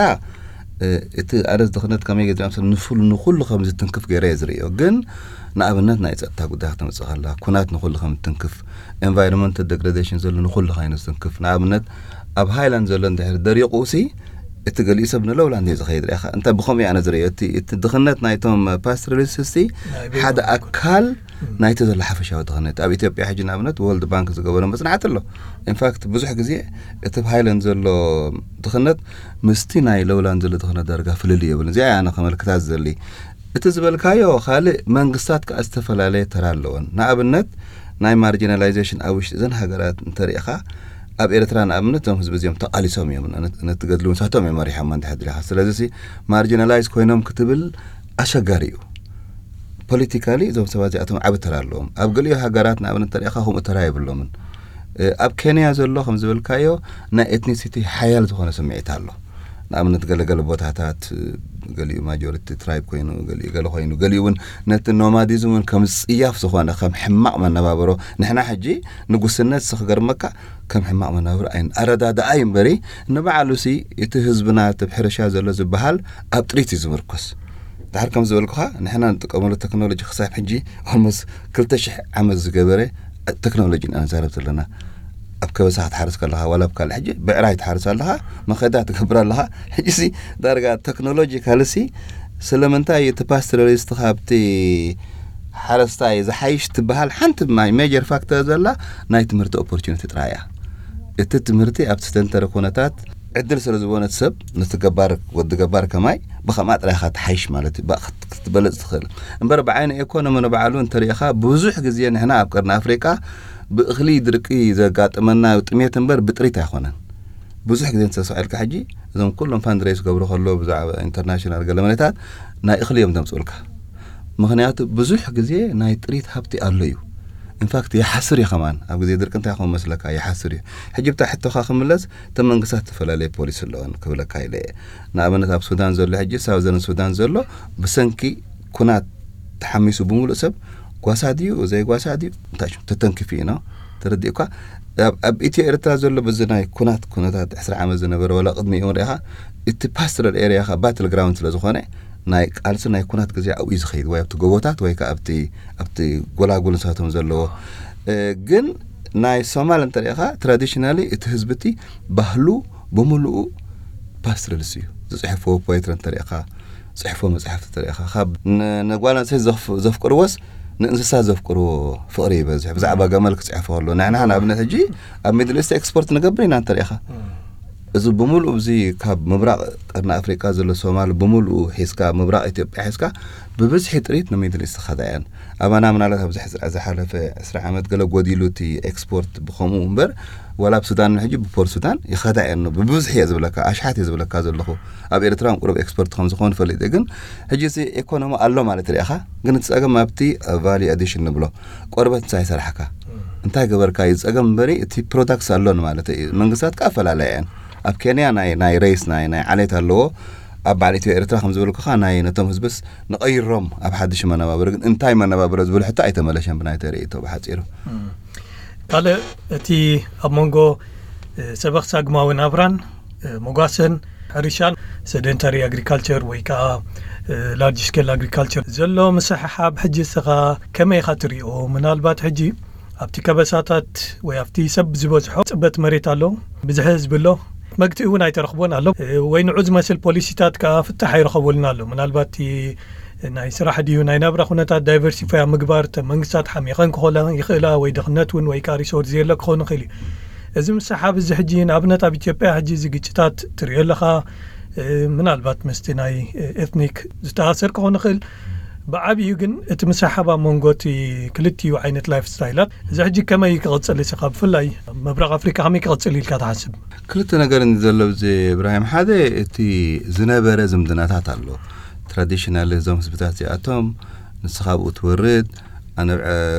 እ፣ እቲ ኣረስ ድኽነት ከመይ ገይሩ ዝኣምሰል ንፉል-፣ ንኹሉ ከም ዝትንክፍ ገይረ እየ ዝርእዮ። ግን ንኣብነት ናይ ጸጥታ ጉዳይ ከተምጽእ ከላ፣ ኩናት ንኹሉ ከም ዝትንክፍ፣ ኤንቫይሮንመንታል ዴግሬዴሽን ዘሎ ንኹሉ ኮይኑ ዝትንክፍ። ንኣብነት ኣብ ሃይላንድ ዘሎ እንድሕር ደሪቑ ሲ፣ እቲ ገሊኡ ሰብ ንሎውላንድ እዩ ዝኸይድ ርኢኻ። እንታይ ብኸምኡ እየ ኣነ ዝርእዮ። እቲ፣ እቲ ድኽነት ናይቶም ፓስቶራሊስትስ ሲ ናይ ቤት ሓደ ኣካል ናይቲ ዘሎ ሓፈሻዊ ድኽነት። ኣብ ኢትዮጵያ ሕጂ ንኣብነት ወርልድ ባንክ ዝገበሮ መጽናዕቲ ኣሎ። ኢንፋክት ብዙሕ ግዜ እቲ ኣብ ሃይላንድ ዘሎ ድኽነት ምስቲ ናይ ሎውላንድ ዘሎ ድኽነት ዳርጋ ፍልልይ የብሉን። እዚኣ እያ ኣነ ከመልክታ ዝደሊ። እቲ ዝበልካዮ ካልእ፣ መንግስታት ከኣ ዝተፈላለየ ተራ ኣለወን። ንኣብነት ናይ ማርጂናላይዜሽን ኣብ ውሽጢ እዘን ሃገራት እንተሪኢኻ፣ ኣብ ኤርትራ ንኣብነት እዞም ህዝቢ እዚኦም ተቓሊሶም እዮም፣ ነት-፣ ነቲ ገድሊ ንሳቶም እዮም መሪሖም እንድሕር ድሊኻ። ስለዚ ሲ ማርጂናላይዝ ኮይኖም ክትብል ኣሸጋሪ እዩ። ፖለቲካሊ እዞም ሰባት እዚኣቶም ዓቢ ተራ ኣለዎም። ኣብ ገሊኡ ሃገራት ንኣብነት እንተሪኢኻ ከምኡ ተራ የብሎምን። እ፣ ኣብ ኬንያ ዘሎ ከም ዝበልካዮ ናይ ኤትኒሲቲ ሓያል ዝኾነ ስምዒት ኣሎ። ንኣብነት ገለገለ ቦታታት፣ እ፣ ገሊኡ ማጆሪቲ ትራይብ ኮይኑ፣ ገሊኡ ገለ ኮይኑ፣ ገሊኡ እውን ነቲ ኖማዲዝም እውን ከም ጽያፍ ዝኾነ፣ ከም ሕማቕ መነባብሮ፣ ንሕና ሕጂ ንጉስነት ሲ ክገርመካ ከም ሕማቕ መነባብሮ ኣይን-፣ ኣረዳድኣ እዩ እምበሪ፣ ንባዕሉ ሲ እቲ ህዝብና እቲ ኣብ ሕርሻ ዘሎ ዝበሃል ኣብ ጥሪት እዩ ዝምርኮስ። ድሓር ከም ዝበልኩኻ፣ ንሕና ንጥቀመሉ ቴክኖሎጂ ክሳብ ሕጂ ኦልሞስት ክልተ ሽሕ ዓመት ዝገበረ ቴክኖሎጂ ኢና ንዛረብ ዘለና። ኣብ ከበሳ ክትሓርስ ከለኻ፣ ዋላ ኣብ ካልእ፣ ሕጂ ብዕራይ ትሓርስ ኣለኻ፣ መኸዳ ትገብር ኣለኻ። ሕጂ ሲ ዳርጋ ቴክኖሎጂ ካልሲ ስለምንታይ እቲ ፓስቶራሊስት ካብቲ ሓረስታይ ዝሓይሽ ትበሃል ሓንቲ ማይ ሜጀር ፋክተር ዘላ ናይ ትምህርቲ ኦፖርቹኒቲ ጥራይ እያ። እቲ ትምህርቲ ኣብቲ ዝተንተረ ኩነታት ዕድል ስለ ዝበነት ሰብ ነቲ ገባር፣ ወዲ ገባር ከማይ ብኸምኣ ጥራይ ኢኻ ትሓይሽ ማለት እዩ። ብኣ ክት-፣ ክትበለጽ ትኽእል። እምበር ብዓይኒ ኤኮኖሚ ንባዕሉ እንተሪኢኻ ብዙሕ ግዜ ንሕና ኣብ ቀርኒ ኣፍሪቃ ብእኽሊ ድርቂ ዘጋጥመና ጥሜት እምበር ብጥሪት ኣይኮነን። ብዙሕ ግዜ እንተተሳኢልካ ሕጂ እዞም ኩሎም ፋንድሬስ ገብሩ ከሎ ብዛዕባ ኢንተርናሽናል ገለ መለታት ናይ እኽሊ እዮም ዘምጽኡልካ። ምኽንያቱ ብዙሕ ግዜ ናይ ጥሪት ሃብቲ ኣሎ እዩ። ኢንፋክት ይሓስር እዩ ከማን። ኣብ ግዜ ድርቂ እንታይ ክኸውን መስለካ? ይሓስር እዩ። ሕጂ ብታ ሕቶኻ ክምለስ፣ እተን መንግስታት ዝተፈላለየ ፖሊሲ ኣለወን ክብለካ ኢለ እየ። ንኣብነት ኣብ ሱዳን ዘሎ ሕጂ፣ ሳውዘርን ሱዳን ዘሎ ብሰንኪ ኩናት ተሓሚሱ ብምሉእ ሰብ ጓሳ ድዩ ዘይጓሳ ድዩ እንታይ ሽም ተተንኪፉ እዩ ነው። ተረዲእኳ? ኣብ፣ ኣብ ኢትዮ ኤርትራ ዘሎ በዚ ናይ ኩናት፣ ኩነታት ዕስራ ዓመት ዝነበረ ዋላ ቅድሚኡ ርኢኻ፣ እቲ ፓስቶራል ኤርያ ኻ ባትል ግራውንድ ስለ ዝኾነ፣ ናይ ቃልሲ ናይ ኩናት ግዜ ኣብኡ እዩ ዝኸይድ፣ ወይ ኣብቲ ጎቦታት ወይ ከኣ ኣብቲ፣ ኣብቲ ጎላጉል ንሳቶም ዘለዎ። እ፣ ግን ናይ ሶማል እንተሪኢኻ፣ ትራዲሽናሊ እቲ ህዝቢ እቲ ባህሉ ብምሉኡ ፓስቶራሊስት እዩ። ዝጽሕፍዎ ፖኤትሪ እንተሪኢኻ፣ ዝጽሕፍዎ መጽሓፍቲ እንተሪኢኻ፣ ካብ ን-፣ ንጓል ኣንስተይቲ ዘፍ-፣ ዘፍቅርዎስ ንእንስሳ ዘፍቅርዎ ፍቕሪ ይበዝሕ። ብዛዕባ ገመል ክጽሕፍ ከሎ ንሕና ንኣብነት ሕጂ ኣብ ሚድል ኢስት ኤክስፖርት ንገብር ኢና እንተሪኢኻ። እዚ ብምሉእ እዚ ካብ ምብራቕ ቀርኒ ኣፍሪቃ ዘሎ ሶማል ብምሉኡ ሒዝካ፣ ምብራቕ ኢትዮጵያ ሒዝካ ብብዝሒ ጥሪት ንሚድል ኢስት ኸዳ እየን። ኣባና ምናልባት ኣብዚ ዝሓለፈ ዕስራ ዓመት ገለ ጎዲሉ እቲ ኤክስፖርት ብኸምኡ እምበር፣ ዋላ ኣብ ሱዳን ሕጂ ብፖርት ሱዳን ይኸዳ እየን። ብብዝሒ እየ ዝብለካ፣ ኣሽሓት እየ ዝብለካ ዘለኹ። ኣብ ኤርትራ እውን ቁሩብ ኤክስፖርት ከም ዝኾኑ ፈሊጠ። ግን ሕጂ እዚ ኢኮኖሚ ኣሎ ማለት ርኢኻ፣ ግን እቲ ጸገም ኣብቲ ቫልዩ ኣዲሽን ንብሎ ቆርበት እንታይ ሰራሕካ እንታይ ገበርካ እዩ ጸገም እምበሪ፣ እቲ ፕሮዳክትስ ኣሎን ማለት እዩ። መንግስታት ከኣ ኣፈላለያ እየን። ኣብ ኬንያ ናይ ናይ ሬስ ናይ ናይ ዓሌት ኣለዎ። ኣብ በዓል ኢትዮ ኤርትራ ከም ዝበልኩኻ ናይ ነቶም ህዝብስ ንቐይሮም ኣብ ሓድሽ መነባብሮ፣ ግን እንታይ መነባብሮ ዝብል ሕቶ ኣይተመለሸን ብናይ ተርእይቶ ብሓጺሩ። ካልእ እቲ ኣብ መንጎ ሰበኽ ሳግማዊ ናብራን መጓሰን ሕርሻን ሰደንታሪ ኣግሪካልቸር ወይ ከዓ ላርጅ ስኬል ኣግሪካልቸር ዘሎ ምስሕሓብ ሕጂ እስኻ ከመይ ኢኻ ትሪኦ? ምናልባት ሕጂ ኣብቲ ከበሳታት ወይ ኣብቲ ሰብ ዝበዝሖ ጽበት መሬት ኣሎ፣ ብዝሒ ህዝቢ ኣሎ፣ መግትኢ እውን ኣይተረኽቦን ኣሎ። ወይ ንዑ ዝመስል ፖሊሲታት ከዓ ፍታሕ ኣይረኸበሉን ኣሎ። ምናልባት ናይ ስራሕ ድዩ ናይ ናብራ ኩነታት ዳይቨርሲፋይ ኣብ ምግባር፣ እተን መንግስታት ሓሚቐን ክኾላ ይኽእላ፣ ወይ ድኽነት እውን ወይ ከዓ ሪሶርስ ዘየለ ክኾን ይኽእል እዩ። እዚ ምስሓብ እዚ ሕጂ ንኣብነት ኣብ ኢትዮጵያ ሕጂ እዚ ግጭታት ትሪኦ ኣለኻ። ምናልባት ምስቲ ናይ ኤትኒክ ዝተኣሰር ክኾን ይኽእል። ብዓብዩ ግን እቲ ምስሓብ ኣብ መንጎ እቲ ክልቲኡ ዓይነት ላይፍ ስታይላት እዚ ሕጂ ከመይ ክቕፅል እስኻ ብፍላይ ኣብ ምብራቕ ኣፍሪካ ከመይ ክቕፅል ኢልካ ትሓስብ? ክልተ ነገር እንዲ ዘሎ ብዚ እብራሂም፣ ሓደ እቲ ዝነበረ ዝምድናታት ኣሎ። ትራዲሽናል እዞም ህዝብታት እዚኣቶም ንስኻ ብኡ ትወርድ፣ ኣነ ብዐ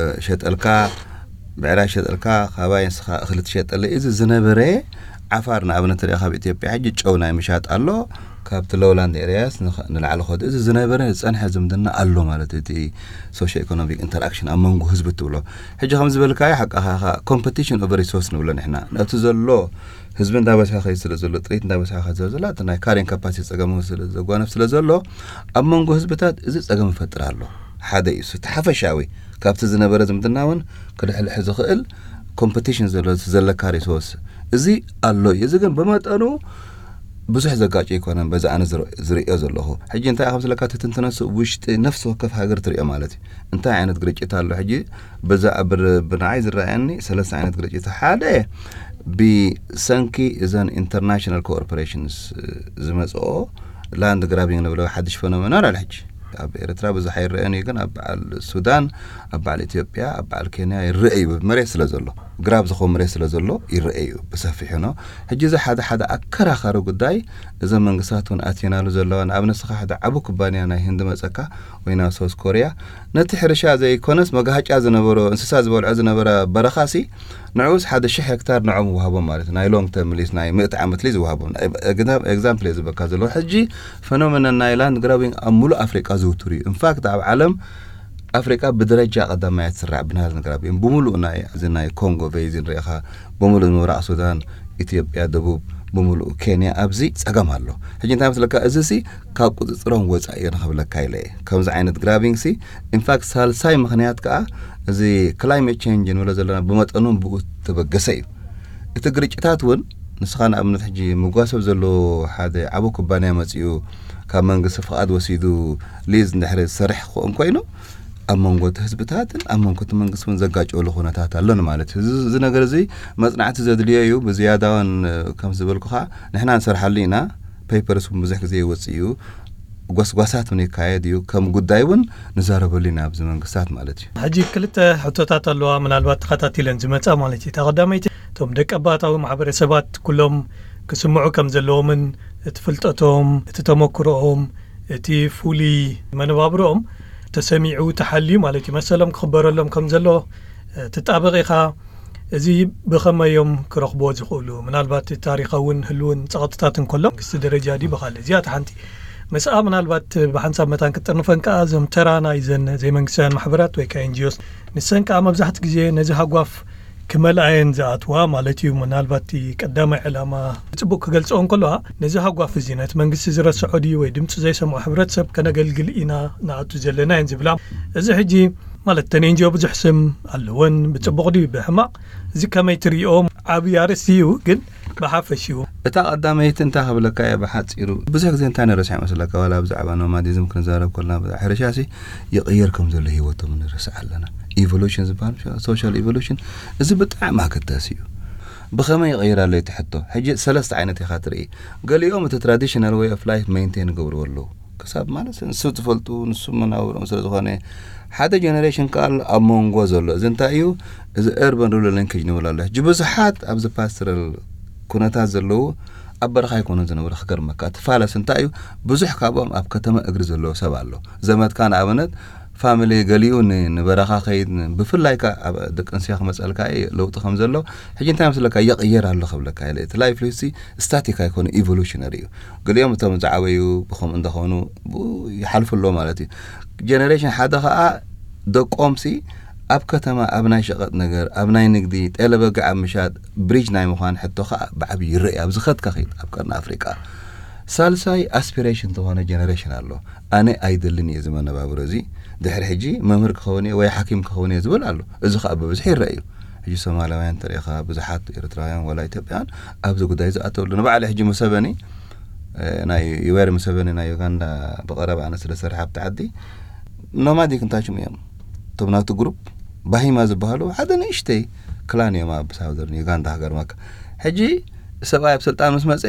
ሸጠልካ፣ ብዕራይ ሸጠልካ፣ ካባይ ንስኻ እኽሊ ትሸጠለ። እዚ ዝነበረ ዓፋር ንኣብነት ሪኣ ካብ ኢትዮጵያ ሕጂ ጨው ናይ ምሻጥ ኣሎ። ካብቲ ሎውላንድ ኤሪያስ ንላዕሊ ኸዱ እዚ ዝነበረ ዝጸንሐ ዝምድና ኣሎ ማለት እዩ። እቲ ሶሾ ኢኮኖሚክ ኢንተራክሽን ኣብ መንጎ ህዝቢ ትብሎ ሕጂ ከም ዝበልካዮ ሓቃኻ ኮምፐቲሽን ኦቨር ሪሶርስ ንብሎ ንሕና ነቲ ዘሎ ህዝቢ እንዳበዝሐ ከይድ ስለ ዘሎ ጥሪት እንዳበዝሐ ከይድ ስለ ዘሎ እቲ ናይ ካሪንግ ካፓሲቲ ጸገም ስለ ዘጓነፍ ስለ ዘሎ ኣብ መንጎ ህዝብታት እዚ ጸገም ይፈጥር ኣሎ። ሓደ እዩ እቲ ሓፈሻዊ ካብቲ ዝነበረ ዝምድና እውን ክልሕልሕ ዝኽእል ኮምፐቲሽን ዘሎ ዘለካ ሪሶርስ እዚ ኣሎ እዩ። እዚ ግን ብመጠኑ ብዙሕ ዘጋጭ ኣይኮነን። በዚ ኣነ ዝርእዮ ዘለኹ ሕጂ እንታይ ከም ስለካ ትትንትነሱ ውሽጢ ነፍሲ ወከፍ ሃገር ትሪኦ ማለት እዩ። እንታይ ዓይነት ግርጭት ኣሎ ሕጂ በዛ ብንዓይ ዝረኣየኒ ሰለስተ ዓይነት ግርጭት ሓደ ብሰንኪ እዘን ኢንተርናሽናል ኮርፖሬሽንስ ዝመፅኦ ላንድ ግራቢንግ ንብሎ ሓድሽ ፈኖመና ኣሎ ሕጂ ኣብ ኤርትራ ብዙሕ ኣይረአን እዩ፣ ግን ኣብ በዓል ሱዳን ኣብ በዓል ኢትዮጵያ ኣብ በዓል ኬንያ ይረአ እዩ። መሬት ስለ ዘሎ ግራብ ዝኾን መሬት ስለ ዘሎ ይረአ እዩ ብሰፊሑ ነው። ሕጂ እዚ ሓደ ሓደ ኣከራኻሪ ጉዳይ እዞም መንግስታት እውን ኣትየናሉ ዘለዋ ንኣብነት ስኻ ሓደ ዓቡ ኩባንያ ናይ ህንዲ መፀካ ወይ ናብ ሶስ ኮርያ ነቲ ሕርሻ ዘይኮነስ መጋሃጫ ዝነበሮ እንስሳ ዝበልዖ ዝነበረ በረኻሲ ንዑስ ሓደ ሽሕ ሄክታር ንዖም ይወሃቦም ማለት ናይ ሎንግ ተርም ሊስ ናይ ምእቲ ዓመት ሊዝ ይወሃቦም። ኤግዛምፕል እየ ዝበካ ዘለኹ ሕጂ ፈኖመና ናይ ላንድ ግራቢንግ ኣብ ሙሉእ ኣፍሪቃ ዝውቱር እዩ። ኢንፋክት ኣብ ዓለም ኣፍሪቃ ብደረጃ ቀዳማይ ትስራዕ ብናል ንግራብ እዮም ብምሉእ ናይ እዚ ናይ ኮንጎ ቬይዝን ርኢኻ ብምሉእ ምብራቕ ሱዳን ኢትዮጵያ ደቡብ ብምሉእ ኬንያ ኣብዚ ጸገም ኣሎ። ሕጂ እንታይ መስለካ እዚ ሲ ካብ ቁፅፅሮም ወፃኢ እየ ንኽብለካ ኢለ እየ። ከምዚ ዓይነት ግራቢንግ ሲ ኢንፋክት ሳልሳይ ምኽንያት ከዓ እዚ ክላይሜት ቼንጅ ንብሎ ዘለና ብመጠኑ ብኡ ተበገሰ እዩ። እቲ ግርጭታት እውን ንስኻ ንኣብነት ሕጂ ምጓሰብ ዘሎ ሓደ ዓቡ ኩባንያ መፂኡ ካብ መንግስቲ ፍቓድ ወሲዱ ሊዝ እንድሕሪ ዝሰርሕ ክኾን ኮይኑ ኣብ መንጎ እቲ ህዝብታትን ኣብ መንጎ እቲ መንግስቲ እውን ዘጋጨሉ ኩነታት ኣሎን ማለት እዩ። እዚ ነገር እዚ መፅናዕቲ ዘድልዮ እዩ። ብዝያዳ እውን ከም ዝበልኩኻ ንሕና ንሰርሓሉ ኢና። ፔፐርስ እውን ብዙሕ ግዜ ይወፅእ እዩ። ጎስጓሳት እውን ይካየድ እዩ። ከም ጉዳይ እውን ንዛረበሉ ኢና ኣብዚ መንግስታት ማለት እዩ። ሕጂ ክልተ ሕቶታት ኣለዋ ምናልባት ተኸታቲለን ዝመፃ ማለት እዩ። እታ ቀዳመይቲ እቶም ደቀባታዊ ማሕበረሰባት ኩሎም ክስምዑ ከም ዘለዎምን እቲ ፍልጠቶም እቲ ተመክሮኦም እቲ ፍሉይ መነባብሮኦም ተሰሚዑ ተሓልዩ ማለት እዩ መሰሎም ክኽበረሎም ከም ዘሎ ትጣበቕ ኢኻ። እዚ ብኸመይ እዮም ክረኽብዎ ዝኽእሉ? ምናልባት ታሪኻውን ህልውን ጸቕጥታት እንከሎ መንግስቲ ደረጃ ድዩ ብኻልእ? እዚኣ እታ ሓንቲ። ምስኣ ምናልባት ብሓንሳብ መታን ክትጥርንፈን ከኣ እዞም ተራ ናይ ዘን ዘይመንግስታውያን ማሕበራት ወይ ከዓ ኤንጂኦስ ንሰን ከኣ መብዛሕትኡ ግዜ ነዚ ሃጓፍ ክመልኣየን ዝኣትዋ ማለት እዩ። ምናልባት እቲ ቀዳማይ ዕላማ ብጽቡቕ ክገልጽኦ እንከለዋ ነዚ ሃጓፍ እዚ ነቲ መንግስቲ ዝረስዖ ድዩ ወይ ድምፂ ዘይሰምዖ ሕብረተሰብ ከነገልግል ኢና ንኣቱ ዘለና እየን ዝብላ። እዚ ሕጂ ማለት ተን ኤንጂኦ ብዙሕ ስም ኣለወን ብጽቡቕ ድዩ ብሕማቕ እዚ ከመይ ትሪኦ? ዓቢ ኣርእስቲ እዩ ግን ብሓፈሽኡ እታ ቀዳመይቲ እንታይ ክብለካ እየ ብሓፂሩ፣ ብዙሕ ግዜ እንታይ ንረስዕ መስለካ፣ ዋላ ብዛዕባ ኖማዲዝም ክንዛረብ ከለና፣ ብዛዕባ ሕርሻ ሲ ይቕየር ከም ዘሎ ህይወቶም ንረስዕ ኣለና። ኢቮሉሽን ዝበሃል፣ ሶሻል ኢቮሉሽን፣ እዚ ብጣዕሚ ኣገዳሲ እዩ። ብኸመይ ይቕየር ኣሎ እቲ ሕቶ? ሕጂ ሰለስተ ዓይነት ኢኻ ትርኢ። ገሊኦም እቲ ትራዲሽናል ወይ ኦፍ ላይፍ ሜንቴን ይገብርዎ ኣለዉ፣ ክሳብ ማለት ንሱ ትፈልጡ፣ ንሱ መናብሮም ስለ ዝኾነ። ሓደ ጀነሬሽን ከኣ ኣሎ ኣብ መንጎ ዘሎ። እዚ እንታይ እዩ? እዚ ኤርበን ሩራል ሊንኬጅ ንብል ኣሎ። ሕጂ ብዙሓት ኣብዚ ፓስተራል ኩነታት ዘለዉ ኣብ በረኻ ኣይኮኑን ዝነብሩ። ክገርመካ፣ እቲ ፋለስ እንታይ እዩ? ብዙሕ ካብኦም ኣብ ከተማ እግሪ ዘለዎ ሰብ ኣሎ። ዘመድካ ንኣብነት ፋሚሊ ገሊኡ ን- ንበረኻ ከይድ ን- ብፍላይ ከ ኣብ ደቂ ኣንስትዮ ክመፀልካ እዩ ለውጢ ከም ዘሎ። ሕጂ እንታይ መስለካ? ይቕየር ኣሎ ክብለካ ኢለ። እቲ ላይፍ ሲ ስታቲክ ኣይኮነ፣ ኢቮሉሽነሪ እዩ። ገሊኦም እቶም ዝዓበዩ ብኸምኡ እንደኾኑ ብኡ ይሓልፉ ኣለዎ ማለት እዩ። ጀነሬሽን ሓደ ኸዓ ደቆምሲ ኣብ ከተማ ኣብ ናይ ሸቐጥ ነገር፣ ኣብ ናይ ንግዲ፣ ጤለ በጊዕ ኣብ ምሻጥ፣ ብሪጅ ናይ ምዃን ሕቶ ኸዓ ብዓብዪ ይረአ። ኣብ ዝኸድካ ኸይድ ኣብ ቀርኒ ኣፍሪቃ። ሳልሳይ ኣስፒሬሽን ዝኾነ ጀነሬሽን ኣሎ። ኣነ ኣይደልን እየ እዚ መነባብሮ እዚ፣ ድሕሪ ሕጂ መምህር ክኸውን እየ ወይ ሓኪም ክኸውን እየ ዝብል ኣሎ። እዚ ኸዓ ብብዝሒ ይረአ እዩ። ሕጂ ሶማላውያን ተሪእኻ፣ ብዙሓት ኤርትራውያን ዋላ ኢትዮጵያውያን ኣብዚ ጉዳይ ዝኣተውሉ። ንባዕሉ ሕጂ ሙሰቨኒ፣ እ፣ ናይ ዩዌሪ ሙሰቨኒ ናይ ዩጋንዳ ብቐረባ ኣነ ስለ ዝሰርሐ ኣብቲ ዓዲ፣ ኖማዲክ እንታይ ሽሙ እዮም እቶም ናቱ ግሩፕ፣ ባሂማ ዝበሃሉ ሓደ ንእሽተይ ክላን እዮም ኣብ ሳውዘርን ዩጋንዳ። ክገርመካ፣ ሕጂ ሰብኣይ ኣብ ስልጣን ምስ መፀ፣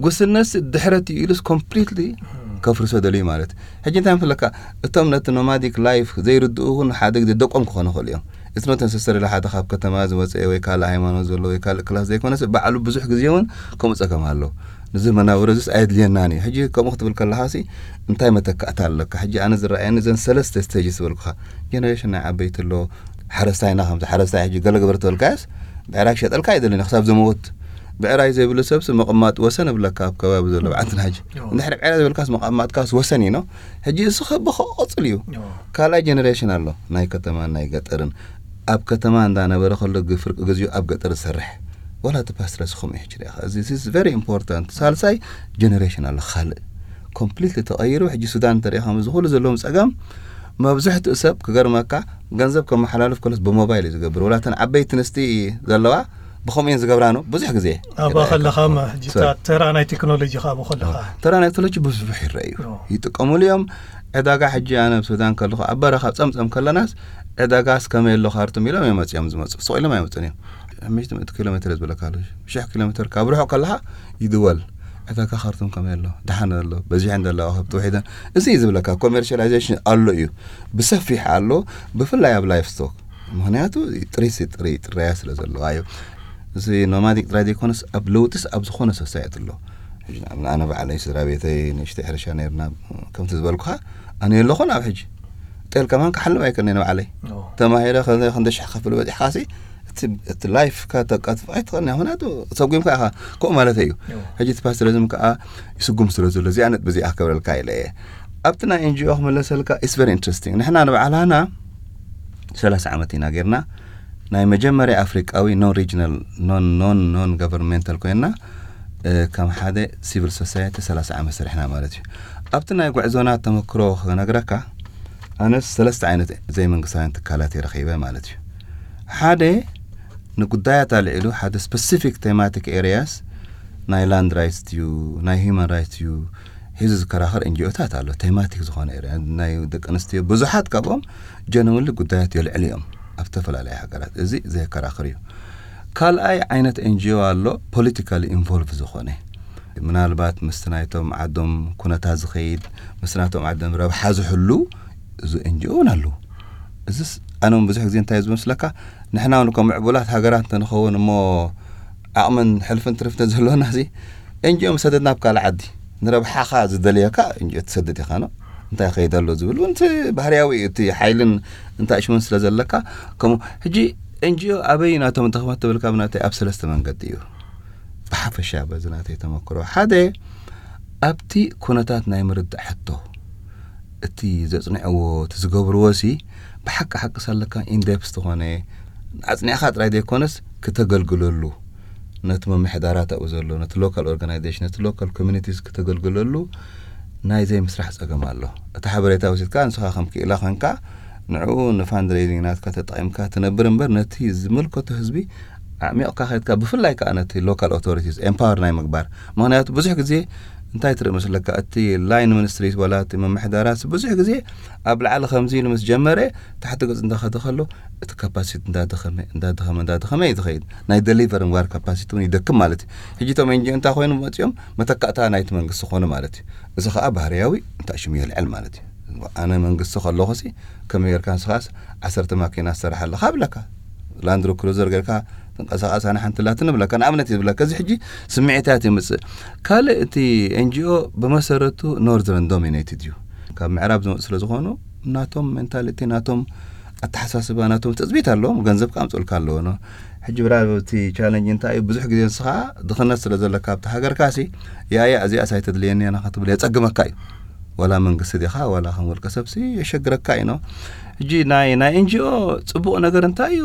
ጉስነት ድሕረት እዩ ኢሉስ ኮምፕሊትሊ ከፍርሶ ደልዩ ማለት። ሕጂ እንታይ ምፍለካ? እቶም ነቲ ኖማዲክ ላይፍ ዘይርድኡ እውን ሓደ ግዜ ደቆም ክኾኑ ይኽእሉ እዮም። እቲ ኖት ነሰሰሪ ሓደ ካብ ከተማ ዝመፀ ወይ ካልእ ሃይማኖት ዘሎ ወይ ካልእ ክላስ ዘይኮነስ፣ ባዕሉ ብዙሕ ግዜ እውን ከምኡ ፀገም ኣሎ። ንዚ መናብሮ እዚስ ኣየድልየናን እዩ። ሕጂ ከምኡ ክትብል ከለኻሲ እንታይ መተካእታ ኣለካ? ሕጂ ኣነ ዝረኣየኒ እዘን ሰለስተ ስቴጅ ዝበልኩኻ፣ ጀነሬሽን ናይ ዓበይቲ ኣሎ፣ ሓረስታይና ከምዚ ሓረስታይ ሕጂ ገለ ግበር ተበልካዮስ ብዕራይ ክሸጠልካ ኣይደልን ክሳብ ዝመውት። ብዕራይ ዘይብሉ ሰብስ መቐማጥ ወሰን እብለካ ኣብ ከባቢ ዘሎ ብዓንትና ሕጂ። እዎ። እንድሕሪ ብዕራይ ዘይብልካስ መቐማጥካስ ወሰን እዩ ነው። ሕጂ እዚ ኸ ብኸ ቀጽል እዩ። እዎ። ካልኣይ ጀነሬሽን ኣሎ ናይ ከተማን ናይ ገጠርን። ኣብ ከተማ እንዳነበረ ከሎ ግፍርቂ ግዚኡ ኣብ ገጠር ዝሰርሕ። ወላ እቲ ፓስትረስ ከምኡ እዩ ሕጂ ሪኢኻ። እዚ is very important። ሳልሳይ ጀነሬሽን ኣሎ ካልእ። ኮምፕሊትሊ ተቐይሩ። ሕጂ ሱዳን እንተሪኢኻ፣ እዚ ኩሉ ዘለዎም ጸገም፣ መብዝሕትኡ ሰብ ክገርመካ፣ ገንዘብ ከመሓላልፍ ከሎስ ብሞባይል እዩ ዝገብር። ወላ እተን ዓበይቲ ኣንስቲ ዘለዋ ብኸምኡ እየን ዝገብራ ነው ብዙሕ ግዜ። ኣብኣ ከለኻ፣ ሕጂ፣ ሶሪ። ተራ ናይ ቴክኖሎጂ ከኣ ኣብኡ ከለኻ። ተራ ናይ ቴክኖሎጂ ብዙሕ ይረኣዩ። ኦ። ይጥቀሙሉ እዮም። ዕዳጋ፣ ሕጂ ኣነ ኣብ ሱዳን ከለኹ፣ ኣብ በረኻ ጸምጸም ከለናስ፣ ዕዳጋስ ከመይ ኣሎ ካርቱም ኢሎም እዮም መጺኦም ዝመጹ። ስቕ ኢሎም ኣይመጹን እዮም። ሓሙሽተ ሚእቲ ኪሎ ሜትር ዝበለካ ኣሎ። ሽሕ ኪሎ ሜትር ካብ ርሑቕ ከለኻ ይድወል። ዕዳጋ ካርቱም ከመይ ኣሎ? ደሓን ኣሎ? በዚሐን ዘለዋ ከብቲ ውሒደን? እዚ እዩ ዝብለካ። ኮሜርሻላይዜሽን ኣሎ እዩ። ብሰፊሕ ኣሎ። ብፍላይ ኣብ ላይፍ ስቶክ። ምኽንያቱ ጥሪት ጥሪ ጥራያ ስለ ዘለዋ እዩ። እዚ ኖማዲክ ጥራይ ዘይኮነስ ኣብ ለውጢስ ኣብ ዝኾነ ሶሳይቲ ኣሎ። ሕጂ ንኣብነት ኣነ ባዕለይ ስድራ ቤተይ ንእሽተይ ሕርሻ ነይርና፣ ከምቲ ዝበልኩኻ ኣነ የለኹን ኣብ ሕጂ። ጤል ከማን ክሓልብ ኣይክእልን እየ ንባዕለይ። ኦ። ተማሂረ ከ-፣ ክንደ ሽሕ ከፍል በፂሕካሲ እቲ፣ እቲ ላይፍ ከተቃጥፍ ኣይትኽእልን እያ። ምኽንያቱ ሰጉምካ ኢኻ። ከምኡ ማለት እዩ። ኦ። ሕጂ እቲ ፓስትሪዝም ከዓ ይስጉም ስለ ዘሎ እዚኣ ነጥቢ እዚኣ ክብረልካ ኢለ እየ። ኣብቲ ናይ ኤንጂኦ ክመለሰልካ፣ it's very interesting። ንሕና ንባዕላና ሰላሳ ዓመት ኢና ጌርና። ናይ መጀመርያ ኣፍሪቃዊ ኖን ሪጅናል፣ ኖን፣ ኖን፣ ኖን ጋቨርንሜንታል ኮይና፣ እ፣ ከም ሓደ ሲቪል ሶሳይቲ ሰላሳ ዓመት ሰሪሕና ማለት እዩ። ኣብቲ ናይ ጉዕዞና ተመክሮ ክነግረካ፣ ኣነስ ሰለስተ ዓይነት ዘይመንግስታውያን ትካላት እየ ረኺበ ማለት እዩ። ሓደ ንጉዳያት ኣልዒሉ፣ ሓደ ስፐሲፊክ ቴማቲክ ኤሪያስ፣ ናይ ላንድ ራይትስ እዩ፣ ናይ ሂውማን ራይትስ እዩ፣ ሒዙ ዝከራኸር ኤንጂኦታት ኣሎ። ቴማቲክ ዝኾነ ኤሪያ፣ ናይ ደቂ ኣንስትዮ ብዙሓት ካብኦም ጀነውንሊ ጉዳያት የልዕሉ እዮም ኣብ ዝተፈላለዩ ሃገራት። እዚ ዘየከራኽር እዩ። ካልኣይ ዓይነት ኤንጂኦ ኣሎ፣ ፖለቲካሊ ኢንቮልቭ ዝኾነ፣ ምናልባት ምስቲ ናይቶም ዓዶም ኩነታት ዝኸይድ፣ ምስቲ ናይቶም ዓዶም ረብሓ ዝሕሉ፣ እዚ ኤንጂኦ እውን ኣለዉ። እዚስ ኣነ እውን ብዙሕ ግዜ እንታይ እዩ ዝመስለካ፣ ንሕና እውን ከም ምዕቡላት ሃገራት እንተንኸውን እሞ፣ ዓቕምን ሕልፍን ትርፍትን ዘለዎና፣ እዚ ኤንጂኦ ምስ ሰደድና ኣብ ካልእ ዓዲ ንረብሓኻ ዝደልየካ ኤንጂኦ ትሰድድ ኢኻ ነው። እንታይ ይኸይድ ኣሎ ዝብል እውን እቲ ባህርያዊ እዩ። እቲ ሓይልን እንታይ ሽሙን ስለ ዘለካ፣ ከምኡ ሕጂ ኤንጂኦ ኣበይ ናቶም ድኽመት ትብል ካብ ናተይ ኣብ ሰለስተ መንገዲ እዩ። ብሓፈሻ በዚ ናተይ ተመክሮ፣ ሓደ ኣብቲ ኩነታት ናይ ምርዳእ ሕቶ፣ እቲ ዘጽንዕዎ፣ እቲ ዝገብርዎ ሲ ብሓቂ ሓቂ ሳለካ ኢንዴፕስ ዝኾነ ኣጽኒዕኻ ጥራይ ዘይኮነስ ክተገልግለሉ፣ ነቲ ምምሕዳራት ኣብኡ ዘሎ፣ ነቲ ሎካል ኦርጋናይዜሽን፣ ነቲ ሎካል ኮሚኒቲስ ክተገልግለሉ ናይ ዘይምስራሕ ጸገም ኣሎ። እቲ ሓበሬታ ወሲድካ ንስኻ ከም ክኢላ ኮንካ ንዕኡ ንፋንድሬዚንግ ናትካ ተጠቒምካ ትነብር እምበር ነቲ ዝምልከቶ ህዝቢ ኣዕሚቕካ ከድካ፣ ብፍላይ ከዓ ነቲ local authorities empower ናይ ምግባር። ምክንያቱ ብዙሕ ግዜ እንታይ ትርኢ መስለካ፣ እቲ line ministries ዋላ እቲ ምምሕዳራት ብዙሕ ግዜ ኣብ ላዕሊ ከምዚ ኢሉ ምስ ጀመረ፣ ታሕቲ ገጽ እንዳኸደ ከሎ እቲ capacity እንዳደኸመ እንዳደኸመ እንዳደኸመ እዩ ዝኸይድ። ናይ deliver ምግባር capacity እውን ይደክም ማለት እዩ። ሕጂ እቶም ኤንጂኦ እንታይ ኮይኑ መፅኦም፣ መተካእታ ናይቲ መንግስቲ ኮኑ ማለት እዩ። እዚ ከዓ ባህርያዊ እንታይ ሽሙ የልዕል ማለት እዩ። ኣነ መንግስቲ ከለኹሲ ከመይ ጌርካ ንስኻስ ዓሰርተ ማኪና ትሰርሓ ኣለኻ ብለካ፣ ላንድሮ ክሩዘር ጌርካ ትንቀሳቐስ ኣነ ሓንቲ ላትን ብለካ፣ ንኣብነት እዩ ዝብለካ። እዚ ሕጂ ስምዒታት የምፅእ። ካልእ እቲ ኤንጂኦ ብመሰረቱ northern dominated እዩ። ካብ ምዕራብ ዝመፁ ስለ ዝኾኑ ናቶም ሜንታሊቲ፣ ናቶም ኣተሓሳስባ፣ ናቶም ትፅቢት ኣለዎም። ገንዘብ ከዓ ኣምፅኡልካ ኣለዎ። ሕጂ ብራ እቲ ቻለንጅ እንታይ እዩ? ብዙሕ ግዜ ንስኻ ድኽነት ስለ ዘለካ ኣብቲ ሃገርካሲ ያያ እዚኣስ ኣይተድልየኒ እያ ክትብል የፀግመካ እዩ። ዋላ መንግስቲ ዲኻ ዋላ ከም ውልቀ ሰብሲ የሸግረካ እዩ። ሕጂ ናይ ናይ ኤንጂኦ ፅቡቕ ነገር እንታይ እዩ?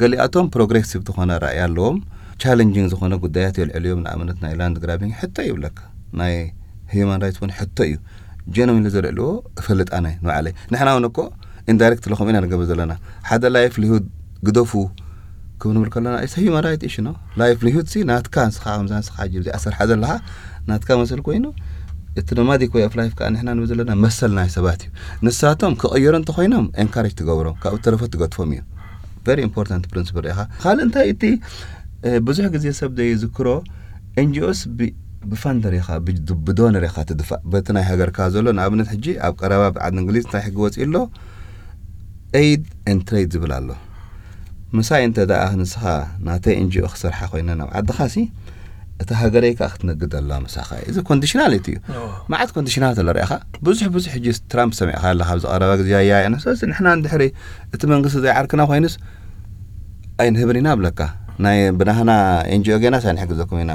ገሊኣቶም ፕሮግሬሲቭ ዝኾነ ራእይ ኣለዎም። ቻለንጂንግ ዝኾነ ጉዳያት የልዕሉ እዮም። ንኣብነት ናይ ላንድ ግራቢንግ ሕቶ ይብለካ፣ ናይ ሂዩማን ራይትስ እውን ሕቶ እዩ። ጀነዊንሊ ዘልዕልዎ እፈልጥ ኣነ ንባዕለይ። ንሕና እውን እኮ ኢንዳይሬክት ለኹም ኢና ንገብር ዘለና። ሓደ ላይፍሊሁድ ግደፉ ክብል ንብል ከለና፣ it's a human right issue ነው። ላይፍሊሁድ ሲ ናትካ፣ ንስኻ ከምዛ ንስኻ ሕጂ እዚኣ ሰርሓ ዘለኻ ናትካ መሰል ኮይኑ፣ እቲ ኖማዲክ ወይ ኦፍ ላይፍ ከዓ ንሕና ንብል ዘለና መሰል ናይ ሰባት እዩ። ንሳቶም ክቕየሩ እንተኮይኖም ኤንካሬጅ ትገብሮም፣ ካብኡ ተረፈ ትገድፎም እዩ። ቨሪ ኢምፖርታንት ፕሪንስፕል ኢኻ። ካልእ እንታይ እቲ እ፣ ብዙሕ ግዜ ሰብ ዘይዝክሮ፣ ኤንጂኦስ ብ-፣ ብፋንደር ኢኻ፣ ብ-፣ ብዶነር ኢኻ ትድፋእ። በቲ ናይ ሃገርካ ዘሎ፣ ንኣብነት ሕጂ ኣብ ቀረባ ብዓዲ እንግሊዝ እንታይ ሕጊ ወፂኡ ኣሎ? ኤይድ ኤንድ ትሬድ ዝብል ኣሎ። ምሳይ እንተ ደኣ ንስኻ ናተይ ኤንጂኦ ክሰርሓ ኮይነ ናብ ዓድኻ ሲ፣ እታ ሃገረይ ከኣ ክትነግድ ኣላ ምሳኻ። እዚ ኮንዲሽናሊቲ እዩ። ኦ። መዓት ኮንዲሽናል ተሎ ርኢኻ፣ ብዙሕ ብዙሕ ሕጂ ትራምፕ ሰሚዕካ ኣለኻ፣ ኣብዚ ቀረባ ግዜ ኣያ ኣያ ነፍሰስ ንሕና እንድሕሪ እቲ መንግስቲ ዘይዓርክና ኮይኑስ ኣይንህብን ኢና ብለካ። ናይ ብናህና ኤንጂኦ ጌና ሳይ ንሕግዘኩም ኢና።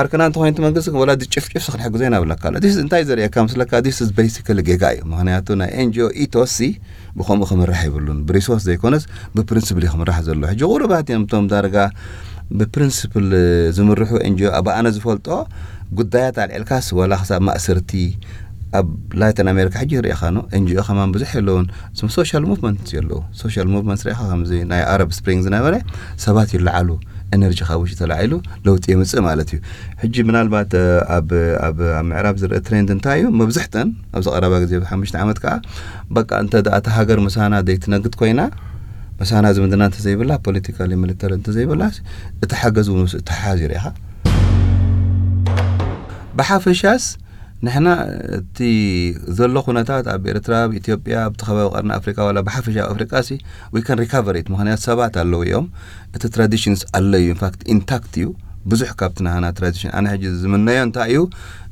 ዓርክና እንተኮይኑ እቲ መንግስቲ ወላ ድጭፍጭፍ ክንሕግዞ ኢና ብለካ ኣሎ። ዲስ እንታይ ዘርእየካ ምስለካ፣ ዲስ ኢዝ ቤሲካሊ ጌጋ እዩ። ምክንያቱ ናይ ኤንጂኦ ኢቶስ ሲ ብከምኡ ክምራሕ ይብሉን። ብሪሶርስ ዘይኮነስ ብፕሪንስፕል እዩ ክምራሕ ዘሎ። ሕጂ ቁሩባት እዮም እቶም ዳርጋ ብፕሪንስፕል ዝምርሑ ኤንጂኦ። ኣብ ኣነ ዝፈልጦ ጉዳያት ኣልዕልካስ ዋላ ክሳብ ማእሰርቲ ኣብ ላቲን ኣሜሪካ ሕጂ ርኢኻ ነው። ኤንጂኦ ከማን ብዙሕ የለውን። እዞም ሶሻል ሙቭመንት የለዉ። ሶሻል ሙቭመንት ርኢኻ ከምዚ ናይ ኣረብ ስፕሪንግ ዝነበረ ሰባት ይለዓሉ፣ ኤነርጂ ካብ ውሽጢ ተላዒሉ ለውጢ የምፅእ ማለት እዩ። ሕጂ ምናልባት፣ እ፣ ኣብ፣ ኣብ፣ ኣብ ምዕራብ ዝረአ ትሬንድ እንታይ እዩ? መብዝሕተን ኣብዚ ቀረባ ግዜ፣ ኣብ ሓሙሽተ ዓመት ከዓ በቃ እንተ ደኣ እታ ሃገር ምሳና ዘይትነግድ ኮይና፣ ምሳና ዝምድና እንተዘይብላ፣ ፖለቲካሊ ሚሊተሪ እንተዘይብላ፣ እቲ ሓገዝ እውን ምስ እተሓሓዝ እዩ ርኢኻ። ብሓፈሻስ ንሕና እቲ ዘሎ ኩነታት ኣብ ኤርትራ፣ ኣብ ኢትዮጵያ፣ ኣብቲ ከባቢ ቀርኒ ኣፍሪቃ፣ ዋላ ብሓፈሻ ኣብ ኣፍሪቃ ሲ፣ we can recover it። ምኽንያት ሰባት ኣለዉ እዮም። እቲ ትራዲሽንስ ኣሎ እዩ። ኢንፋክት ኢንታክት እዩ። ብዙሕ ካብቲ ናህና ትራዲሽን። ኣነ ሕጂ ዝምነዮ እንታይ እዩ?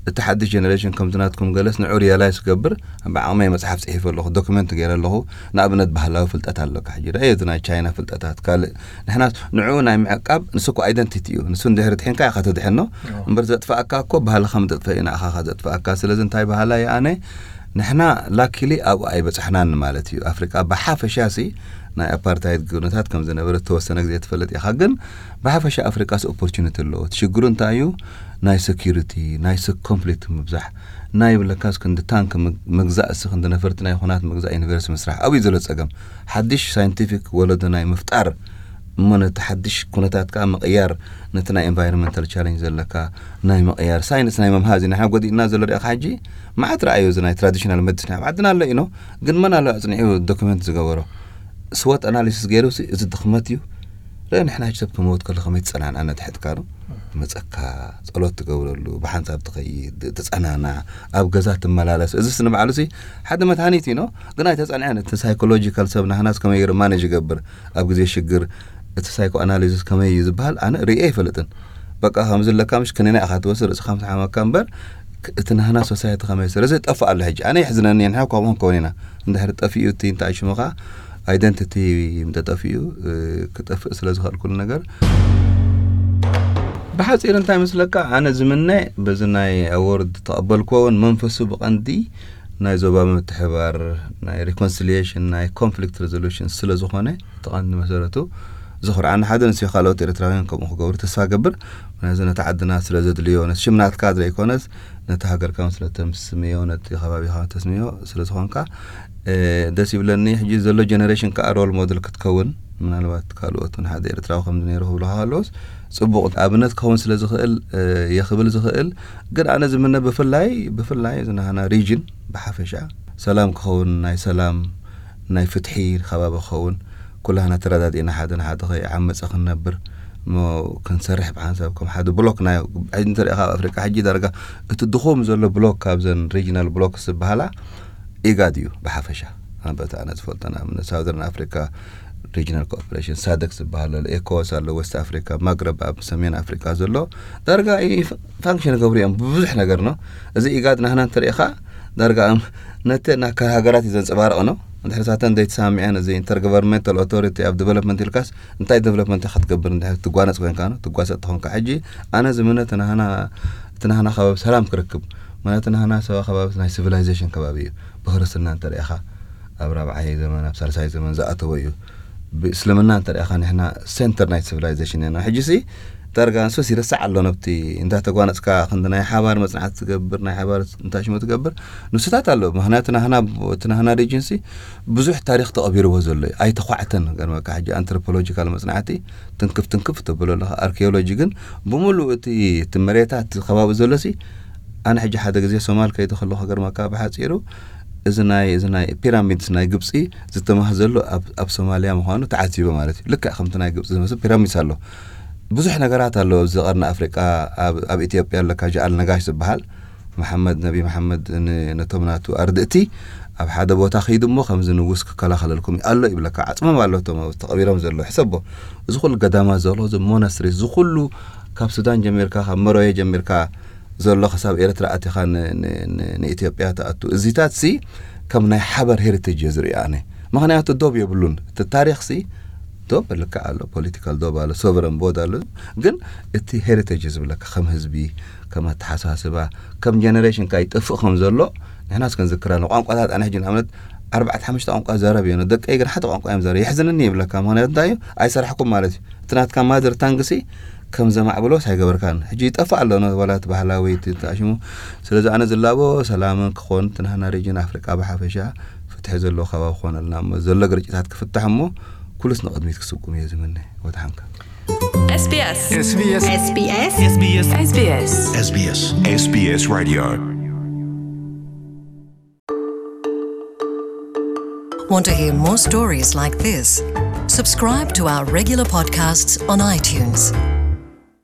እቲ ሓድሽ ጀነሬሽን ከምቲ ናትኩም ገለስ ንዑ ሪያላይዝ ክገብር፣ ብዓቕመይ መጽሓፍ ጽሒፈ ኣለኹ፣ ዶክመንት ገይረ ኣለኹ። ንኣብነት ባህላዊ ፍልጠት ኣለካ። ሕጂ ርኣዮ፣ እዚ ናይ ቻይና ፍልጠታት፣ ካልእ። ንሕና ንዑ ናይ ምዕቃብ፣ ንሱ እኮ ኣይደንቲቲ እዩ። ንሱ እንድሕሪ ድሒንካ ኢኻ ትድሕኖ። እዎ። እምበር ዘጥፍኣካ እኮ ባህልኻ ምጥጥፈ እዩ ንዓኻ ዘጥፍኣካ። ስለዚ እንታይ ባህላ እዩ ኣነ? ንሕና ላኪሊ ኣብኡ ኣይበጻሕናን ማለት እዩ። ኣፍሪቃ ብሓፈሻ ሲ ናይ ኣፓርታይድ ኩነታት ከም ዝነበረ ዝተወሰነ ግዜ ትፈልጥ ኢኻ። ግን ብሓፈሻ ኣፍሪቃስ ኦፖርቹኒቲ ኣለዎ። እቲ ሽግሩ እንታይ እዩ? ናይ ሴኪሪቲ፣ ናይ ስ-፣ ኮንፍሊክት ምብዛሕ፣ ናይ ብለካስ ክንዲ ታንክ ምግ-፣ ምግዛእ፣ እሲ ክንዲ ነፈርቲ ናይ ኹናት ምግዛእ፣ ዩኒቨርሲቲ ምስራሕ፣ ኣብኡ እዩ ዘሎ ጸገም። ሓድሽ ሳይንቲፊክ ወለዶ ናይ ምፍጣር እሞ ነቲ ሓድሽ ኩነታት ከኣ ምቕያር፣ ነቲ ናይ ኤንቫይሮንመንታል ቻሌንጅ ዘለካ ናይ ምቕያር፣ ሳይንስ ናይ ምምሃዝ ኢና ጎዲእና ዘሎ። ርኢኻ ሕጂ መዓት ረኣዩ፣ እዚ ናይ ትራዲሽናል መዲሲን ኣብ ዓድና ኣሎ ኢኖ፣ ግን መን ኣሎ ኣጽኒዑ ዶክመንት ዝገበሮ? ስዎት ኣናሊሲስ ገይሩ ሲ፣ እዚ ድኽመት እዩ። ርእ ንሕና ሕጂ ሰብ ክመውት ከሎ ከመይ ትጸናንዐ? ነቲ ሕትካ ነው መጸካ፣ ጸሎት ትገብረሉ፣ ብሓንሳብ ትኸይድ፣ ትጸናናዕ፣ ኣብ ገዛ ትመላለስ። እዚስ ንባዕሉ ሲ ሓደ መድሃኒት እዩ ነው፣ ግን ኣይተጸንዐን። እቲ ሳይኮሎጂካል ሰብ ናህናስ ከመይ ገይሩ ማኔጅ ይገብር ኣብ ግዜ ሽግር፣ እቲ ሳይኮ ኣናሊሲስ ከመይ እዩ ዝበሃል ኣነ ርእየ ኣይፈልጥን። በቃ ከምዚ ኣለካ ምሽ ክኒና ኢኻ ትወስድ፣ ርእስኻ ምስ ሓመካ እምበር ክ-፣ እቲ ናህና ሶሳይቲ ከመይ ስለ እዚ ጠፍእ ኣሎ። ሕጂ ኣነ የሕዝነኒ፣ ንሕና ከምኡ ክንከውን ኢና። እንድሕሪ ጠፊኡ እቲ እንታይ ሽሙ ኸዓ ኣይደንቲቲ እንተጠፊኡ፣ እ፣ ክጠፍእ ስለ ዝኽእል ኩሉ ነገር። ብሓጺር እንታይ መስለካ፣ ኣነ ዝምነ በዚ ናይ ኣዎርድ ተቐበልክዎ እውን መንፈሱ ብቐንዲ ናይ ዞባ ምትሕባር፣ ናይ ሪኮንሲሊየሽን፣ ናይ ኮንፍሊክት ሬዞሉሽን ስለ ዝኾነ፣ እቲ ቀንዲ መሰረቱ ዘኹርዓኒ ሓደ ንሱ እዩ። ካልኦት ኤርትራውያን ከምኡ ክገብሩ ተስፋ ገብር። ምክንያቱ ነቲ ዓድና ስለ ዘድልዮ፣ ነቲ ሽም ናትካ ዘይኮነስ ነቲ ሃገርካ እውን ስለ ተስምዮ፣ ነቲ ከባቢኻ ተስምዮ ስለ ዝኾንካ፣ እ፣ ደስ ይብለኒ። ሕጂ ዘሎ ጀነሬሽን ከኣ ሮል ሞዴል ክትከውን፣ ምናልባት ካልኦት እውን ሓደ ኤርትራዊ ከምዚ ነይሩ ክብሉ ከለውስ ጽቡቕ ኣብነት ክኸውን ስለ ዝኽእል፣ እ፣ እየ ክብል ዝኽእል። ግን ኣነ ዝምነ ብፍላይ፣ ብፍላይ እዚ ናህና ሪጅን ብሓፈሻ ሰላም ክኸውን፣ ናይ ሰላም፣ ናይ ፍትሒ ከባቢ ክኸውን፣ ኩላህና ተረዳዲእና ሓደ ንሓደ ከይዓመጸ ክንነብር እሞ ክንሰርሕ ብሓንሳብ ከም ሓደ ብሎክ ናይ፣ ሕጂ እንተሪእኻ ኣብ ኣፍሪቃ ሕጂ ዳርጋ እቲ ድኹም ዘሎ ብሎክ ካብዘን ሪጅናል ብሎክስ ዝበሃላ ኢጋድ እዩ ብሓፈሻ። ኣንበታ ኣነ ዝፈልጦ ንኣብነት ሳውዘርን ኣፍሪካ ሪጅናል ኮኦፕሬሽን ሳደክ ዝበሃል ኣሎ፣ ኤኮዋስ ኣሎ፣ ዌስት ኣፍሪካ፣ ማግረብ ኣብ ሰሜን ኣፍሪካ ዘሎ ዳርጋ ይ-፣ ፋንክሽን ገብሩ እዮም ብብዙሕ ነገር ነው። እዚ ኢጋድ ናህና እንተሪኢኻ ዳርጋ እም-፣ ነተን ኣካል ሃገራት እዩ ዘንፀባርቕ ነው። እንድሕር ሳተን ዘይተሳሚዐን እዚ ኢንተርገቨርንመንታል ኦቶሪቲ ኣብ ዲቨሎፕመንት ኢልካስ እንታይ ዲቨሎፕመንት ኢኻ ትገብር? እንድሕር ትጓነፅ ኮንካ ነው፣ ትጓሰጥ ተኾንካ። ሕጂ ኣነ ዝምነ እቲ ናህና፣ እቲ ናህና ከባቢ ሰላም ክረክብ፣ ማለት ናህና ሰባ ከባቢ ናይ ሲቪላይዜሽን ከባቢ እዩ። ብክርስትና እንተሪኢኻ ኣብ ራብዓይ ዘመን ኣብ ሳልሳይ ዘመን ዝኣተወ እዩ። ብእስልምና እንተሪኢኻ ንሕና ሴንተር ናይ ሲቪላይዜሽን ኢና። ሕጂ ሲ ዳርጋ ንሱስ ይረሳዕ ኣሎ። ነብቲ እንዳተጓነፅካ ክንዲ ናይ ሓባር መፅናዕቲ ትገብር፣ ናይ ሓባር እንታይ ሽሙ ትገብር ንስታት ኣሎ። ምክንያቱ ናህና፣ እቲ ናህና ሪጅን ሲ ብዙሕ ታሪክ ተቐቢርዎ ዘሎ እዩ። ኣይተኳዕተን ገርመካ። ሕጂ ኣንትሮፖሎጂካል መፅናዕቲ ትንክፍ ትንክፍ ተብሎ ኣለኻ። ኣርኪኦሎጂ ግን ብምሉእ እቲ፣ እቲ መሬታት ከባቢ ዘሎ ሲ ኣነ ሕጂ ሓደ ግዜ ሶማል ከይደ ከለኹ ገርመካ ብሓፂሩ እዚ ናይ፣ እዚ ናይ ፒራሚድስ ናይ ግብፂ ዝተማህ ዘሎ ኣብ፣ ኣብ ሶማልያ ምዃኑ ተዓዚበ ማለት እዩ። ልክዕ ከምቲ ናይ ግብፂ ዝመስል ፒራሚድስ ኣሎ። ብዙሕ ነገራት ኣሎ ኣብዚ ቀርኒ ኣፍሪቃ፣ ኣብ፣ ኣብ ኢትዮጵያ ኣለካ ጃኣል ነጋሽ ዝበሃል መሓመድ፣ ነቢ መሓመድ ን-፣ ነቶም ናቱ ኣርድእቲ ኣብ ሓደ ቦታ ከይዱ እሞ ከምዚ ንጉስ ክከላኸለልኩም እዩ ኣሎ ይብለካ። ዓጽሞም ኣሎ እቶም ተቐቢሮም ዘሎ። ሕሰቦ፣ እዚ ኩሉ ገዳማት ዘሎ፣ እዚ ሞናስትሪስ፣ እዚ ኩሉ ካብ ሱዳን ጀሚርካ፣ ካብ መሮየ ጀሚርካ ዘሎ ክሳብ ኤርትራ ኣቲኻ ን-፣ ን-፣ ን-፣ ንኢትዮጵያ ትኣቱ። እዚታት ሲ ከም ናይ ሓበር ሄሪቴጅ እየ ዝሪኦ ኣነ። ምኽንያቱ ዶብ የብሉን። እቲ ታሪኽ ሲ ዶብ ልክዕ ኣሎ፣ ፖለቲካል ዶብ ኣሎ፣ ሶቨረን ቦድ ኣሎ። ግን እቲ ሄሪቴጅ ዝብለካ ከም ህዝቢ፣ ከም ኣተሓሳስባ፣ ከም ጀነሬሽን ከይጠፍእ ከም ዘሎ ንሕናስ ክንዝክራ ንቋንቋታት ኣነ ሕጂ ንኣብነት ኣርባዕተ ሓሙሽተ ቋንቋ ዘረብ እየ። ደቀይ ግን ሓደ ቋንቋ እዮም ዘረብ። የሕዝንኒ ይብለካ። ምኽንያቱ እንታይ እዩ? ኣይሰራሕኩም ማለት እዩ። እቲ ናትካ ማዘር ታንግ ሲ ከም ዘማዕብሎስ ኣይገበርካን። ሕጂ ይጠፍእ ኣሎ ነ-፣ ዋላ እቲ ባህላዊ እቲ ተኣሽሙ። ስለዚ ኣነ ዝላቦ ሰላምን ክኾን፣ እቲ ናህና ሪጅን ኣፍሪቃ ብሓፈሻ ፍትሒ ዘለዎ ከባቢ ክኾነልና እሞ፣ ዘሎ ግርጭታት ክፍታሕ እሞ፣ ኩሉስ ንቕድሚት ክስጉም እየ ዝምነ። ወድሓንካ። S B S. S B S. S B S. S B S. S B S. S B S Radio. Want to hear more stories like this? Subscribe to our regular podcasts on iTunes.